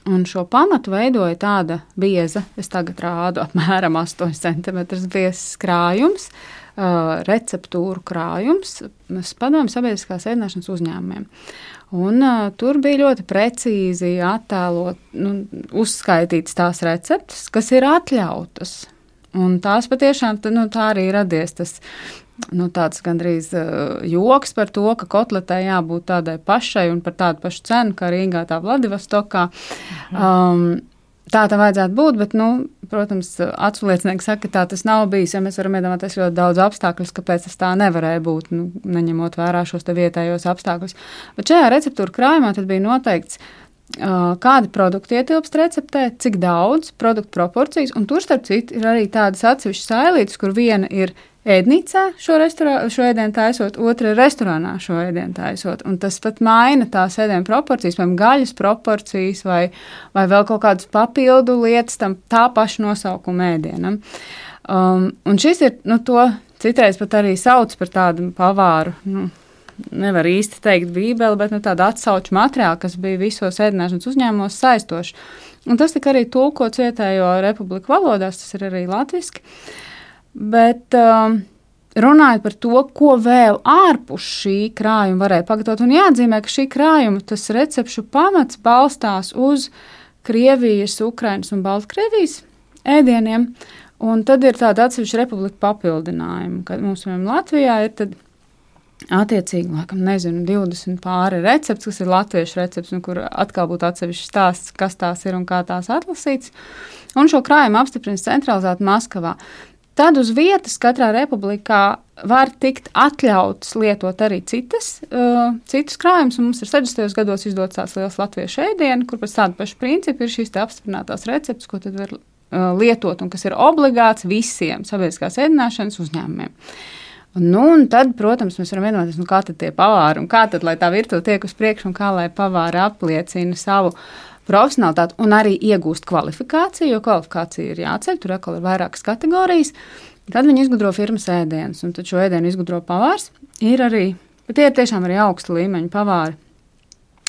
Un šo pamatu veidoja tāda bieza, es tagad rādu apmēram 8 cm biezs krājums, receptūru krājums Padomju sabiedriskās ēdināšanas uzņēmumiem. Un tur bija ļoti precīzi attēlot, uzskaitītas tās receptes, kas ir atļautas. Un tās patiešām, tā arī radies tas tāds gandrīz joks par to, ka kotletē jābūt tādai pašai un par tādu pašu cenu, kā Rīgā, tā Vladivostokā. Tā tam vajadzētu būt, bet, protams, atsliecinieki saka, ka tā tas nav bijis, ja mēs varam iedomāties ļoti daudz apstākļus, kāpēc tas tā nevarēja būt, neņemot vērā šos te vietējos apstākļus. Bet šajā receptūra krājumā tad bija noteikts, kādi produkti ietilpst receptē, cik daudz, produktu proporcijas, un tur, starp citu, ir arī tādas atsevišķas sailītes, kur viena ir ēdnīcā šo ēdienu taisot, otra ir restorānā šo ēdienu taisot. Un tas pat maina tās ēdienu proporcijas, vai gaļas proporcijas, vai vēl kaut kādas papildu lietas tam tā paša nosaukuma ēdienam. Un šis ir, to citreiz pat arī sauc par tādu pavāru, nevar īsti teikt bībeli, bet tāda atsauču materiāla, kas bija visos ēdināšanas uzņēmumos saistoši. Un tas tika arī tulkots vietējo republiku valodās, tas ir arī latviski. Bet runājot par to, ko vēl ārpus šī krājuma varēja pagatavot, un jāatzīmē, ka šī krājuma, tas recepšu pamats balstās uz Krievijas, Ukrainas un Baltkrievijas ēdieniem, un tad ir tāda atsevišķa republika papildinājuma, kad mums, Latvijā, ir tad attiecīgi, 20 pāri recepts, kas ir latviešu recepts, un kur atkal būtu atsevišķs stāsts, kas tās ir un kā tās atlasīts, un šo krājumu apstiprina centralizēti Maskavā. Tad uz vietas katrā republikā var tikt atļauts lietot arī citus krājumus, un mums ir 60. gados izdots tāds liels latviešu ēdienu, kur pēc tāda paša principa ir šīs te apstiprinātās receptes, ko tad var lietot un kas ir obligāts visiem sabiedriskās ēdināšanas uzņēmumiem. Un tad, protams, mēs varam vienoties, kā tad tie pavāri un kā tad, lai tā virtuve tiek uz priekšu un kā lai pavāri apliecina savu profesionalitāti un arī iegūst kvalifikāciju, jo kvalifikācija ir jāceļ, tur atkal ir vairākas kategorijas. Tad viņi izgudro firmas ēdienus, un tad šo ēdienu izgudro pavārs. Ir arī, bet tie ir tiešām arī augsta līmeņa pavāri.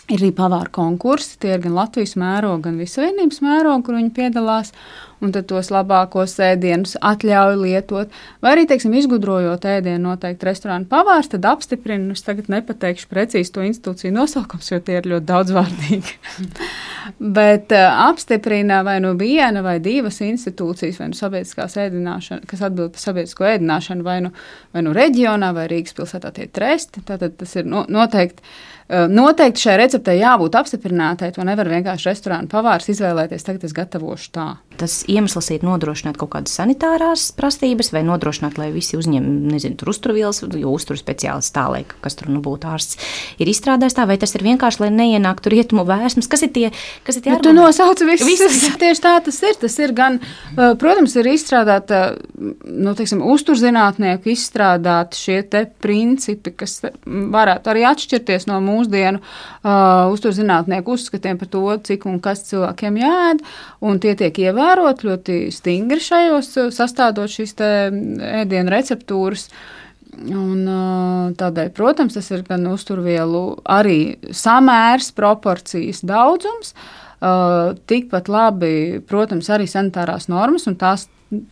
Ir arī pavāru konkursi, tie ir gan Latvijas mēroga, gan Vissavienības mēroga, kur viņi piedalās, un tad tos labākos ēdienus atļauj lietot. Vai arī, izgudrojot ēdienu noteikti restorānu pavārs, tad apstiprina, es tagad nepateikšu precīzi to institūciju nosaukums, jo tie ir ļoti daudzvārdīgi. Bet apstiprina vai viena vai divas institūcijas, vai sabiedriskās ēdināšana, kas atbild par sabiedrisko ēdināšanu, vai reģionā, vai Rīgas pilsētā tie tresti. Tātad tas ir noteikti šai receptei jābūt apstiprinātai. To nevar vienkārši restorāna pavārs izvēlēties, tagad es gatavošu tā. Tas iemesls ir nodrošināt kaut kādas sanitārās prasības vai nodrošināt, lai visi uzņem, tur uzturvielas, jo uzturu speciālists tā, lai kas tur būtu ārsts, ir izstrādājis tā, vai tas ir vienkārši, lai neienāktu rietumu vēsmas? Kas ir tie argumenti? Tu nosauc visus. Tieši tā tas ir. Tas ir gan, protams, ir izstrādāta, uzturzinātnieku izstrādāti šie te principi, kas varētu arī atšķirties no mūsdienu uzturzinātnieku uzskatiem par to, cik un kas cilvēkiem jāēd, un tie tiek ievērot ļoti stingri šajos, sastādot šīs te ēdienu receptūras. Un tādēļ, protams, tas ir gan uzturvielu arī samērs, proporcijas, daudzums, tikpat labi, protams, arī sanitārās normas, un tās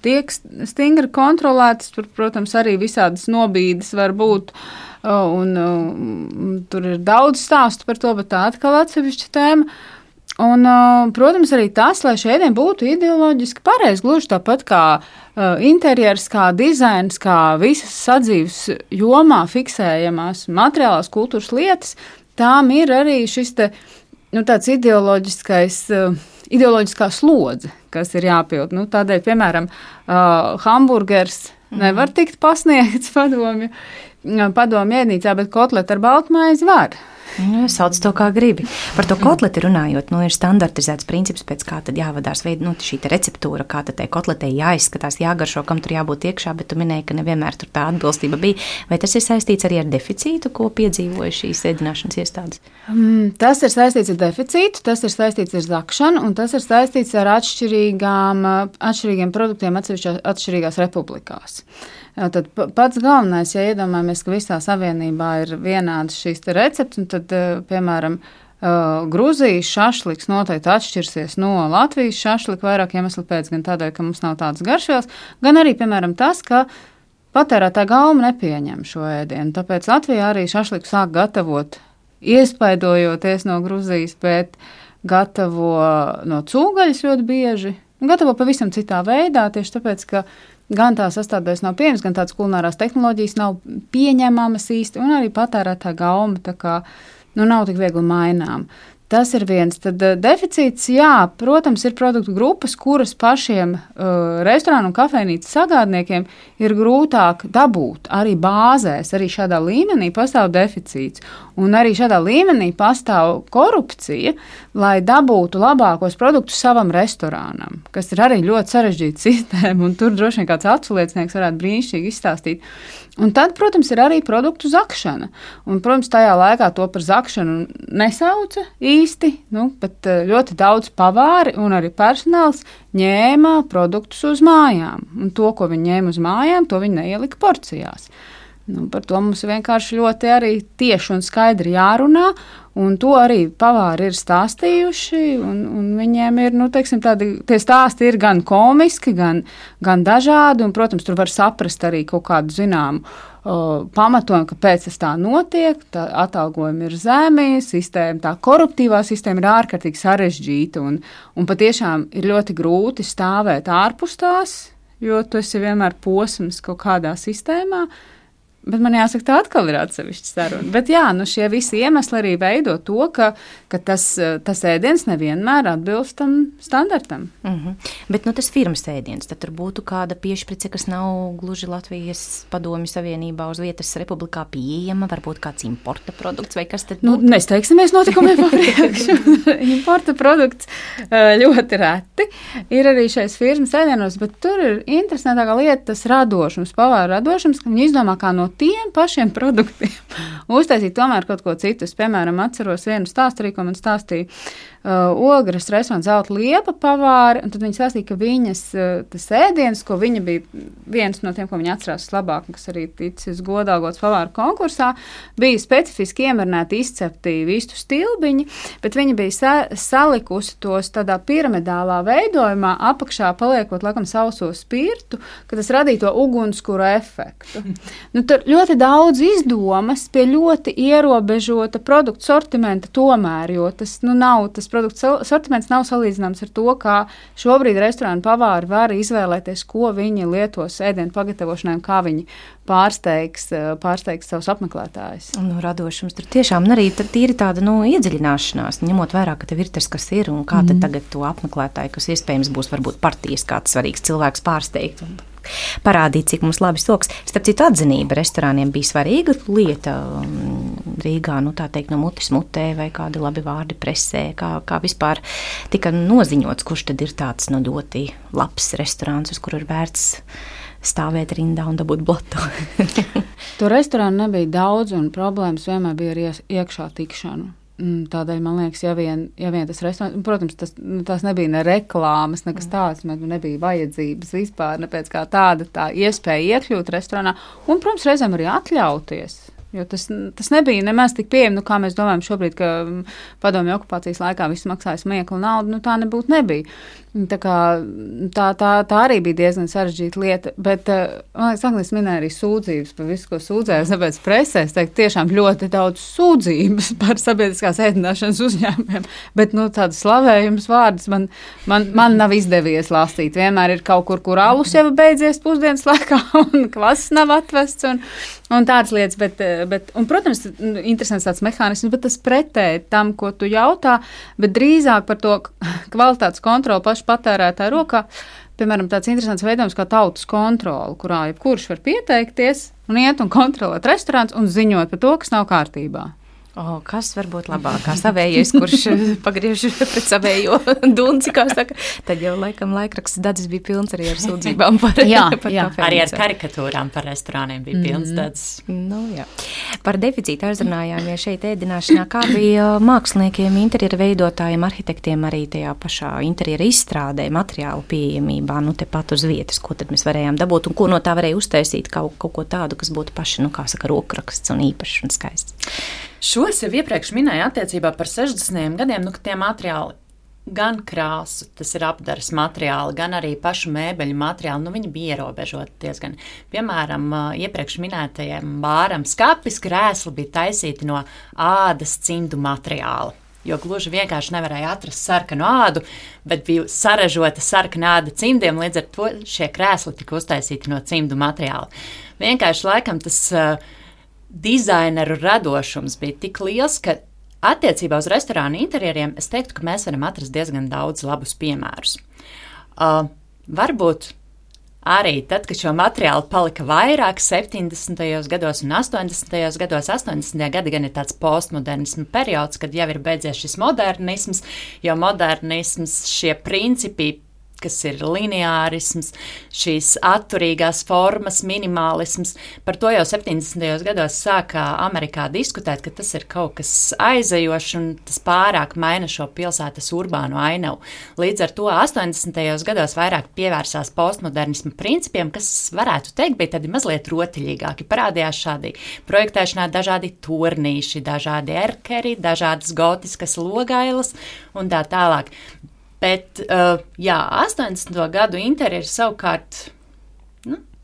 tiek stingri kontrolētas, protams, arī visādas nobīdes var būt, un tur ir daudz stāstu par to, bet tā atkal atsevišķa tēma. Un, protams, arī tas, lai šie ēdieni būtu ideoloģiski pareizi, gluži tāpat kā interjers, kā dizains, kā visas sadzīves jomā fiksējamās materiālās kultūras lietas, tām ir arī šis te, tāds ideoloģiskā slodze, kas ir jāpild. Tādēļ, piemēram, hamburgers nevar tikt pasniegts padomju ēdnīcā, bet kotleti ar baltmaizi var. Sauc to, kā gribi. Par to kotleti runājot, ir standartizēts princips, pēc kā tad jāvadās šī receptūra, kā tad tai kotletei jāizskatās, jāgaršo, kam tur jābūt iekšā, bet tu minēji, ka nevienmēr tur tā atbilstība bija. Vai tas ir saistīts arī ar deficītu, ko piedzīvoja šīs ēdināšanas iestādes? Tas ir saistīts ar deficītu, tas ir saistīts ar zakšanu, un tas ir saistīts ar atšķirīgiem produktiem atšķirīgās republikās. Tad pats galvenais, ja iedomājamies, ka visā savienībā ir vienādas šīs receptes, un tad, piemēram, Gruzijas šašliks noteikti atšķirsies no Latvijas šašlika vairāk iemeslu pēc, gan tādēļ, ka mums nav tādas garšvielas, gan arī, piemēram, tas, ka patērētāja gauma nepieņem šo ēdienu. Tāpēc Latvijā arī šašliku sāk gatavot, iespaidojoties no Gruzijas, bet gatavo no cūgaļas ļoti bieži, un gatavo pavisam citā veidā, tieši tāpēc, ka gan tā sastādēs nav pieņemas, gan tādas kulinārās tehnoloģijas nav pieņemamas īsti, un arī patērētāja gauma tā kā, nav tik viegli mainām. Tas ir viens. Tad deficīts, jā, protams, ir produktu grupas, kuras pašiem restorānu un kafejnīcu sagādniekiem ir grūtāk dabūt. Arī bāzēs, arī šādā līmenī pastāv deficīts. Un arī šādā līmenī pastāv korupcija, lai dabūtu labākos produktus savam restorānam, kas ir arī ļoti sarežģīta sistēma, un tur droši vien kāds aculiecinieks varētu brīnišķīgi izstāstīt. Un tad, protams, ir arī produktu zakšana. Un, protams, tajā laikā to par zakšanu nesauca īsti, bet ļoti daudz pavāri un arī personāls ņēma produktus uz mājām. Un to, ko viņi ņēma uz mājām, to viņi neielika porcijās. Par to mums vienkārši ļoti arī tieši un skaidri jārunā, un to arī pavāri ir stāstījuši, un viņiem ir, tie stāsti ir gan komiski, gan dažādi, un, protams, tur var saprast arī kaut kādu zināmu pamatojumu, kāpēc tas tā notiek, tā atalgojumi ir zemi, sistēma, tā koruptīvā sistēma ir ārkārtīgi sarežģīta, un patiešām ir ļoti grūti stāvēt ārpus tās, jo tu esi vienmēr posms kaut kādā sistēmā. Bet man jāsaka, tā atkal ir atsevišķa saruna. Bet jā, šie visi iemesli arī veido to, ka tas ēdiens nevienmēr atbilst tam standartam. Bet tas firmas ēdiens, tad tur būtu kāda piešprice, kas nav gluži Latvijas Padomju Savienībā uz vietas republikā pieejama, varbūt kāds importa produkts vai kas tad būtu? Nesteigsimies notikumiem papriekšu. Importa produkts ļoti reti ir arī šais firmas ēdienos, bet tur ir interesantākā lieta tas radošums, pavāra radošums, ka viņi izdomā kā no tiem pašiem produktiem uztaisīt tomēr kaut ko citu. Es, piemēram, atceros vienu stāstu arī, ko man stāstīja Ogres restorāns Zelta Liepa pavāri, un tad viņi stāstīja, ka viņas tas ēdiens, ko viņa bija viens no tiem, ko viņa atcerās labāk, kas arī ticis godāgots pavāru konkursā, bija specifiski iemarināti izcepti vistu stilbiņi, bet viņa bija salikusi tos tādā piramidālā veidojumā, apakšā paliekot laikam sauso spirtu, ka tas radīja to ugunskura efektu. Tur ļoti daudz izdomas pie ļoti ierobežota produktu sortimenta tomēr, jo tas nav tas produktu sortiments nav salīdzināms ar to, kā šobrīd restorānu pavāri var izvēlēties, ko viņi lietos ēdienu pagatavošanai un kā viņi pārsteigs savus apmeklētājus. Radošums tur tiešām arī ir tāda iedziļināšanās, ņemot vērā, ka tev ir tas, kas ir, un kā tad tagad to apmeklētāju, kas iespējams būs varbūt partijas kāds svarīgs cilvēks pārsteigt un parādīt, cik mums labi soks. Starp citu, atzinība restorāniem bija svarīga lieta Rīgā, tā teikt, no mutes mutē vai kādi labi vārdi presē, kā vispār tika noziņots, kurš tad ir tāds ļoti labs restorāns, uz kuru ir vērts stāvēt rindā un dabūt blatu. Tur restorānu nebija daudz, un problēmas vienmēr bija ar iekšā tikšanu. Tādēļ, man liekas, ja vien tas restorāns, protams, tās nebija ne reklāmas, nekas tāds, nebija vajadzības vispār, ne pēc kā tāda tā iespēja iekļūt restorānā, un, protams, reizēm arī atļauties Jo tas nebija nemaz tik pieejami, kā mēs domājam šobrīd, ka padomju okupācijas laikā viss maksāja smieklu naudu, tā nebija. Tā arī bija diezgan sarežģīta lieta, bet, man liekas, Agnēs minēja arī sūdzības par visu, ko sūdzējās, tāpēc presē, es teiktu, tiešām ļoti daudz sūdzības par sabiedriskās ēdināšanas uzņēmumiem, bet, tādas slavējums vārdas man nav izdevies lasīt. Vienmēr ir kaut kur alus jau beidzies pusdienas laikā, un klases nav atvests, un tādas lietas, bet, un, protams, interesants tāds mehānisms, bet tas pretēji tam, ko tu jautā, bet drīzāk par to kvalitātes kontroli pašu patērētāju rokā. Piemēram, tāds interesants veidojums kā tautas kontrole, kurā jebkurš var pieteikties un iet un kontrolēt restorāns un ziņot par to, kas nav kārtībā. Kas var būt labākā savējais, kurš pagriež pret savējo dunci, kā saka, tad jau laikam laikraksts Dadzis bija pilns arī ar sūdzībām par kafejnīcu. Arī ar karikatūrām par restorāniem bija pilns Dadzis. Jā. Par deficītu aizrunājāmies šeit ēdināšanā, kā bija māksliniekiem, interjera veidotājiem, arhitektiem arī tajā pašā interjera izstrādē, materiālu pieejamībā, tepat uz vietas, ko tad mēs varējām dabūt un ko no tā varēja uztaisīt kaut ko tādu, kas būtu paši, rokraksts un īpašs un skaists. Šos jau iepriekš minēju attiecībā par 60. gadiem, ka tie materiāli, gan krāsu, tas ir apdares materiāli, gan arī pašu mēbeļu materiāli, viņi bija ierobežoti diezgan. Piemēram, iepriekš minētajiem bāram skapis krēsli bija taisīti no ādas cimdu materiāla. Jo gluži vienkārši nevarēja atrast sarkanu ādu, bet bija saražota sarkana āda cimdiem, līdz ar to šie krēsli tika uztaisīti no cimdu materiāla. Vienkārši laikam tas dizaineru radošums bija tik liels, ka attiecībā uz restorānu interjeriem es teiktu, ka mēs varam atrast diezgan daudz labus piemērus. Varbūt arī tad, kad šo materiālu palika vairāk 70. gados un 80. gados, 80. gadi gan ir tāds postmodernismu periods, kad jau ir beidzies šis modernisms, jo modernisms šie principi, kas ir lineārisms, šīs atturīgās formas, minimālisms. Par to jau 70. gados sāka Amerikā diskutēt, ka tas ir kaut kas aizejošs un tas pārāk maina šo pilsētas urbāno ainavu. Līdz ar to 80. gados vairāk pievērsās postmodernismu principiem, kas varētu teikt, bija tādi mazliet rotiļīgāki. Parādījās šādi projektēšanā dažādi turnīši, dažādi erkeri, dažādas gotiskas logailas un tā tālāk. Bet, 80. gadu interjeri savukārt,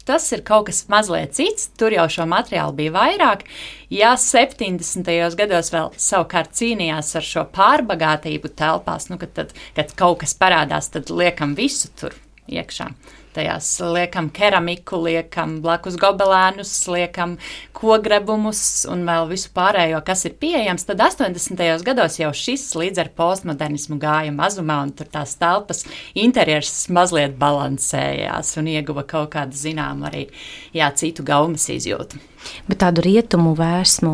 tas ir kaut kas mazliet cits, tur jau šo materiālu bija vairāk. Ja 70. gados vēl savukārt cīnījās ar šo pārbagātību telpās, kad kaut kas parādās, tad liekam visu tur iekšā. Tajās liekam keramiku, liekam blakus gobelēnus, liekam kogrebumus un vēl visu pārējo, kas ir pieejams, tad 80. gados jau šis līdz ar postmodernismu gāja mazumā un tur tās telpas interjers mazliet balansējās un ieguva kaut kādu zināmu arī citu gaumas izjūtu. Bet tādu rietumu vēsmu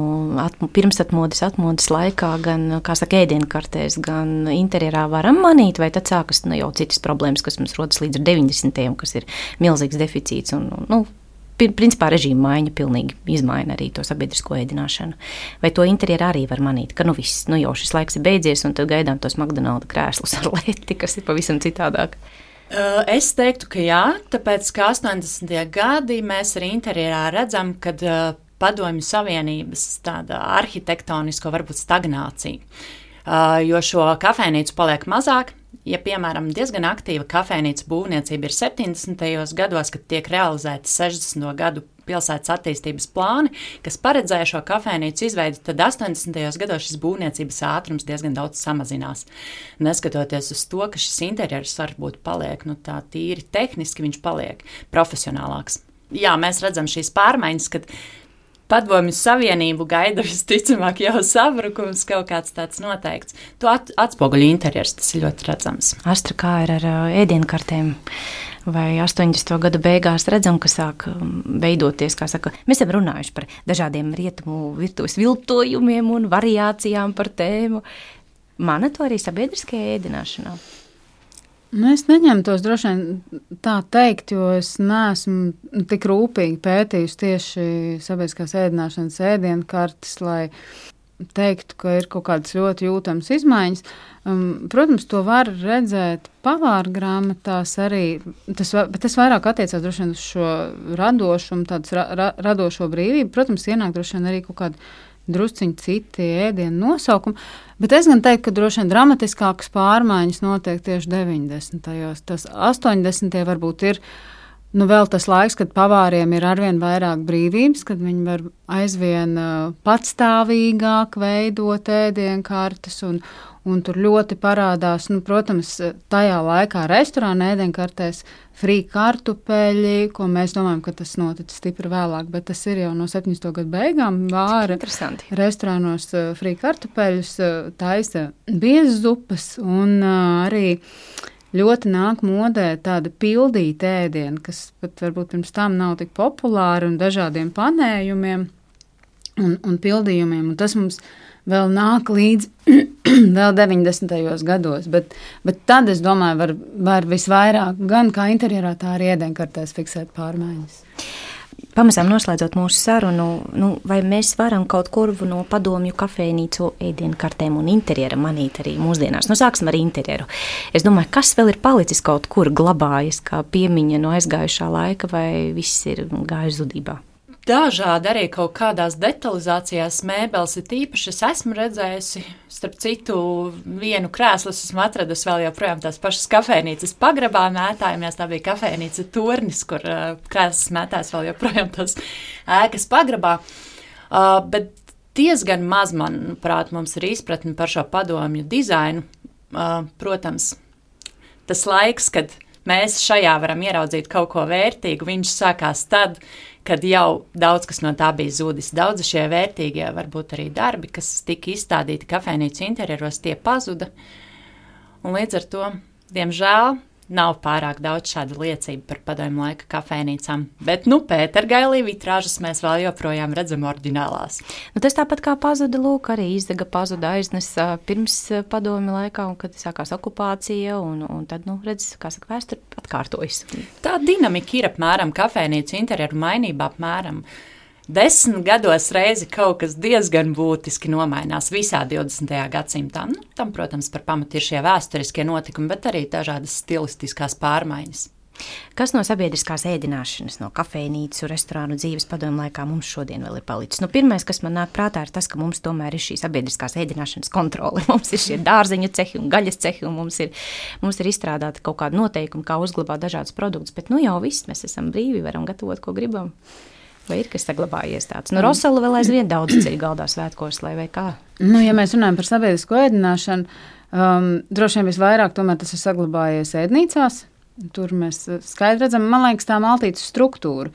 pirmsatmodes, atmodes laikā gan, ēdienkartēs, gan interjerā varam manīt, vai tad sākas jau citas problēmas, kas mums rodas līdz 90. kas ir milzīgs deficīts un, principā režīma maiņa pilnīgi izmaina arī to sabiedrisko ēdināšanu. Vai to interjerā arī var manīt, ka viss, jau šis laiks ir beidzies un tad gaidām tos McDonalda krēslus ar leti, kas ir pavisam citādāk? Es teiktu, ka jā, tāpēc, ka 80. gadi mēs arī interjerā redzam, kad padomju savienības tāda arhitektonisko varbūt stagnācija, jo šo kafejnīcu paliek mazāk. Ja, piemēram, diezgan aktīva kafejnīca būvniecība ir 70. gados, kad tiek realizēti 60. gadu pilsētas attīstības plāni, kas paredzēja šo kafejnīcu izveidi, tad 80. gados šis būvniecības ātrums diezgan daudz samazinās. Neskatoties uz to, ka šis interjers varbūt paliek, tā tīri tehniski viņš paliek profesionālāks. Jā, mēs redzam šīs pārmaiņas, kad Padomju Savienību gaida visticamāk jau sabrukums, kaut kāds tāds noteikts. To atspoguļo interjers, tas ir ļoti redzams. Astra, kā ir ar ēdienkartēm? Vai 80. gadu beigās redzam, ka sāk veidoties, kā saka, mēs esam runājuši par dažādiem rietumu virtuves viltojumiem un variācijām par tēmu. Mana to arī sabiedriskajā ēdināšanā? Es neņemtos droši vien tā teikt, jo es neesmu tik rūpīgi pētījusi tieši sabiedriskās ēdināšanas ēdienkartes, lai teiktu, ka ir kaut kādas ļoti jūtamas izmaiņas. Protams, to var redzēt pavāra grāmatās arī, bet tas vairāk attiecās droši vien uz šo radošumu, tādas radošo brīvību. Protams, ienāk droši vien arī kaut kādi drusciņi citi ēdienu nosaukumi, bet es gan teiktu, ka droši vien dramatiskākas pārmaiņas notiek tieši 90. Tas 80. varbūt ir vēl tas laiks, kad pavāriem ir arvien vairāk brīvības, kad viņi var aizvien patstāvīgāk veidot ēdienkartes un tur ļoti parādās, protams, tajā laikā restorāna ēdienkartēs frī kartupeļi, ko mēs domājam, ka tas noticis stipri vēlāk, bet tas ir jau no 70. gadu beigām. Vāra restorānos frī kartupeļus, taisa biezas zupas un arī ļoti nāk modē tāda pildīta ēdiena, kas pat varbūt pirms tam nav tik populāra un dažādiem panējumiem un pildījumiem. Un tas mums vēl nāk līdz vēl 90. gados, bet tad, es domāju, var visvairāk gan kā interjerā, tā arī ēdienkartēs fiksēt pārmaiņas. Pamazām noslēdzot mūsu sarunu, vai mēs varam kaut kur no padomju kafejnīcu ēdienkartēm un interjera manīt arī mūsdienās? Sāksim ar interjeru. Es domāju, kas vēl ir palicis kaut kur glabājas kā piemiņa no aizgājušā laika, vai viss ir gājis zudībā? Dažādi arī kaut kādās detalizācijās mēbeles ir īpaši. Es esmu redzējusi, starp citu, vienu krēslu esmu atradusi vēl joprojām tās pašas kafejnīcas pagrabā mētājamies. Tā bija kafejnīca Turnis, kur krēslas mētājas vēl joprojām tās ēkas pagrabā. Bet diezgan maz, manuprāt, mums ir izpratni par šo padomju dizainu. Protams, tas laiks, kad mēs šajā varam ieraudzīt kaut ko vērtīgu, viņš sākās tad, kad jau daudz kas no tā bija zudis. Daudzi šie vērtīgie, varbūt arī darbi, kas tika izstādīti kafejnīcu interjeros, tie pazuda. Un līdz ar to, diemžēl, nav pārāk daudz šādu liecību par padomju laika kafejnīcām. Bet, Pētergailī vitrāžas mēs vēl joprojām redzam oriģinālās. Tas tāpat kā pazuda, arī Izdega pazuda aiznes pirms padomju laikā, un kad sākās okupācija, un tad, vēsture atkārtojas. Tā dinamika ir apmēram kafejnīcu interjeru mainība apmēram 10 gados reizi kaut kas diezgan būtiski nomainās visā 20. gadsimtā. Tam, protams, par pamatu ir šie vēsturiskie notikumi, bet arī dažādas stilistiskās pārmaiņas. Kas no sabiedriskās ēdināšanas, no kafejnīcu, restorānu dzīves padomju laikā mums šodien vēl ir palicis? Pirmais, kas man nāk prātā, ir tas, ka mums tomēr ir šī sabiedriskās ēdināšanas kontrole. Mums ir šie dārzeņu cehi un gaļas cehi, un mums ir izstrādāta kaut kāda noteikuma, kā uzglabāt dažādus produktus, bet jau viss, mēs esam brīvi, varam gatavot, ko gribam. Vai ir kas saglabājies tāds? Rosela vēl aizvien daudz ceļu galdā svētkos, vai kā? Ja mēs runājam par sabiedrisko ēdināšanu, droši vien visvairāk tomēr tas ir saglabājies ēdnīcās. Tur mēs skaidri redzam, man liekas, tā maltītes struktūra,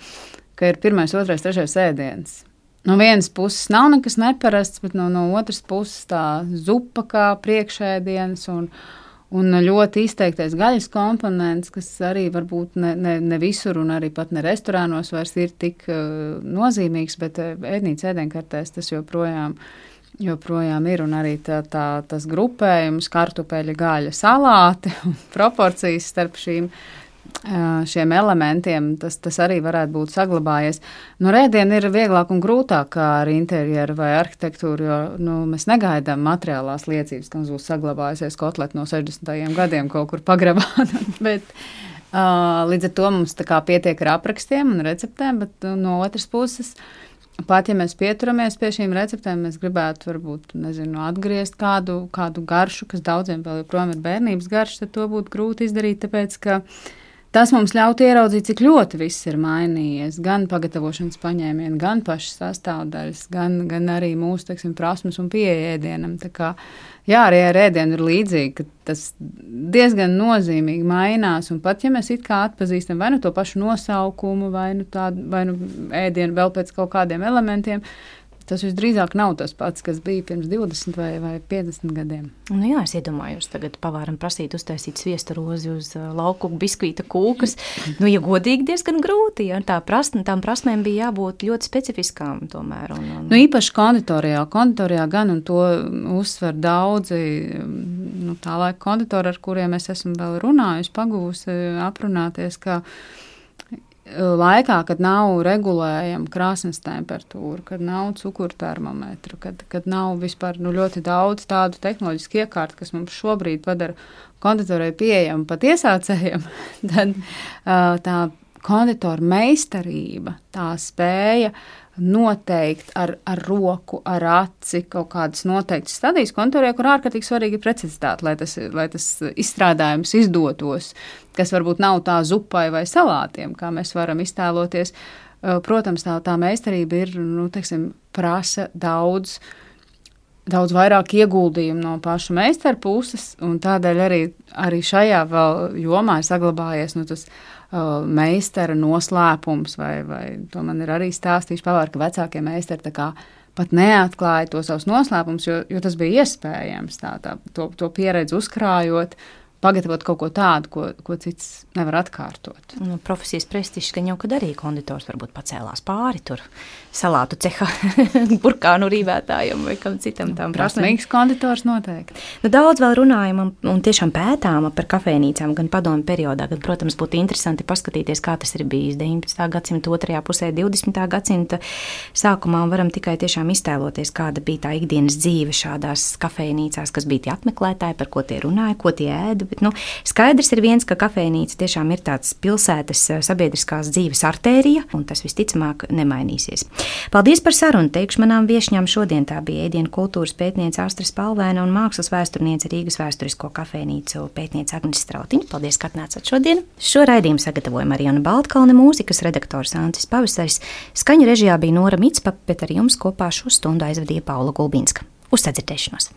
ka ir 1., 2., 3. ēdiens. No vienas puses nav nekas neparasts, bet no otras puses tā zupa kā priekšēdiens un ļoti izteiktais gaļas komponents, kas arī varbūt ne visur un arī pat ne restorānos vairs ir tik nozīmīgs, bet ēdnīcas ēdienkartēs tas joprojām ir, un arī tas grupējums, kartupeļa, gaļa, salāti un proporcijas starp šiem elementiem, tas arī varētu būt saglabājies. Rēdiena ir vieglāk un grūtāk kā ar interjeru vai arhitektūru, jo mēs negaidām materiālās liecības, ka mums būs saglabājusies kotleta no 60. gadiem kaut kur pagrabā, bet līdz ar to mums tā kā pietiek ar aprakstiem un receptēm, bet no otras puses, pat ja mēs pieturamies pie šīm receptēm, mēs gribētu varbūt, atgriezt kādu garšu, kas daudziem vēl joprojām ir bērnības garša, tad to būtu grūti izdarīt, tāpēc, ka tas mums ļautu ieraudzīt, cik ļoti viss ir mainījies, gan pagatavošanas paņēmieni, gan pašas sastāvdaļas, gan arī mūsu, prasmes un pieeja ēdienam. Tā kā, arī ar ēdienu ir līdzīgi, ka tas diezgan nozīmīgi mainās, un pat, ja mēs it kā atpazīstam vai to pašu nosaukumu, vai ēdienu vēl pēc kaut kādiem elementiem, tas visdrīzāk nav tas pats, kas bija pirms 20 vai 50 gadiem. Es iedomājos tagad pavāram prasīt uztaisīt sviesta rozi uz lauku biskvīta kūkas. Ja godīgi diezgan grūti, tām prasmēm bija jābūt ļoti specifiskām tomēr. Īpaši konditorijā gan, un to uzsver daudzi, tā laika konditori, ar kuriem es esmu vēl runājusi, pagūsi aprunāties, ka laikā, kad nav regulējama krāsnes temperatūra, kad nav cukurtermometru, kad nav vispār ļoti daudz tādu tehnoloģisku iekārtu, kas mums šobrīd padara konditorai pieejamu pat iesācējiem, tad tā konditora meistarība, tā spēja noteikt ar roku, ar aci kaut kādas noteiktas stadijas konditorē, kur ārkārtīgi svarīgi ir precizitāte, lai tas izstrādājums izdotos, kas varbūt nav tā zupai vai salātiem, kā mēs varam iztēloties. Protams, tā meistarība ir, prasa daudz vairāk ieguldījumu no paša meistara puses, un tādēļ arī šajā vēl jomā ir saglabājies tas meistara noslēpums, vai to man ir arī stāstījuši pavēr, ka vecākie meistari tā kā pat neatklāja to savus noslēpumus, jo tas bija iespējams to pieredzi uzkrājot, pagatavot kaut ko tādu, ko cits nevar atkārtot. Profesijas prestižs, ka jau kad arī konditors varbūt pacēlās pāri tur salātu ceha burkānu rīvētājam vai kam citam tām prasmēm. Prasmīgs konditors noteikti. Daudz vēl runājam un tiešām pētām par kafejnīcām gan padomju periodā, gan, protams, būtu interesanti paskatīties, kā tas ir bijis 19. gadsimta otrajā pusē, 20. gadsimta sākumā, un varam tikai tiešām iztēloties, kāda bija tā ikdienas dzīve šādās kafejnīcās, kas bija tie apmeklētāji, par ko tie runāja, ko tie ēda. Bet, skaidrs ir viens, ka kafejnīca tiešām ir tāds pilsētas sabiedriskās dzīves artērija, un tas visticamāk nemainīsies. Paldies par sarunu, teikšu manām viešņām šodien. Tā bija ēdienu kultūras pētniece Astra Spalvēna un mākslas vēsturniece Rīgas vēsturisko kafejnīcu pētniece Agnes Strautiņa. Paldies, ka atnācāt šodien. Šo raidījumu sagatavoja Marijona Baltkalne, mūzikas redaktors Ancis Pavasaris, skaņu režijā bija Nora Micpa, bet ar jums kopā šo stundu aizvadīja Paula Gulbinska. Uz sadzirdēšanos!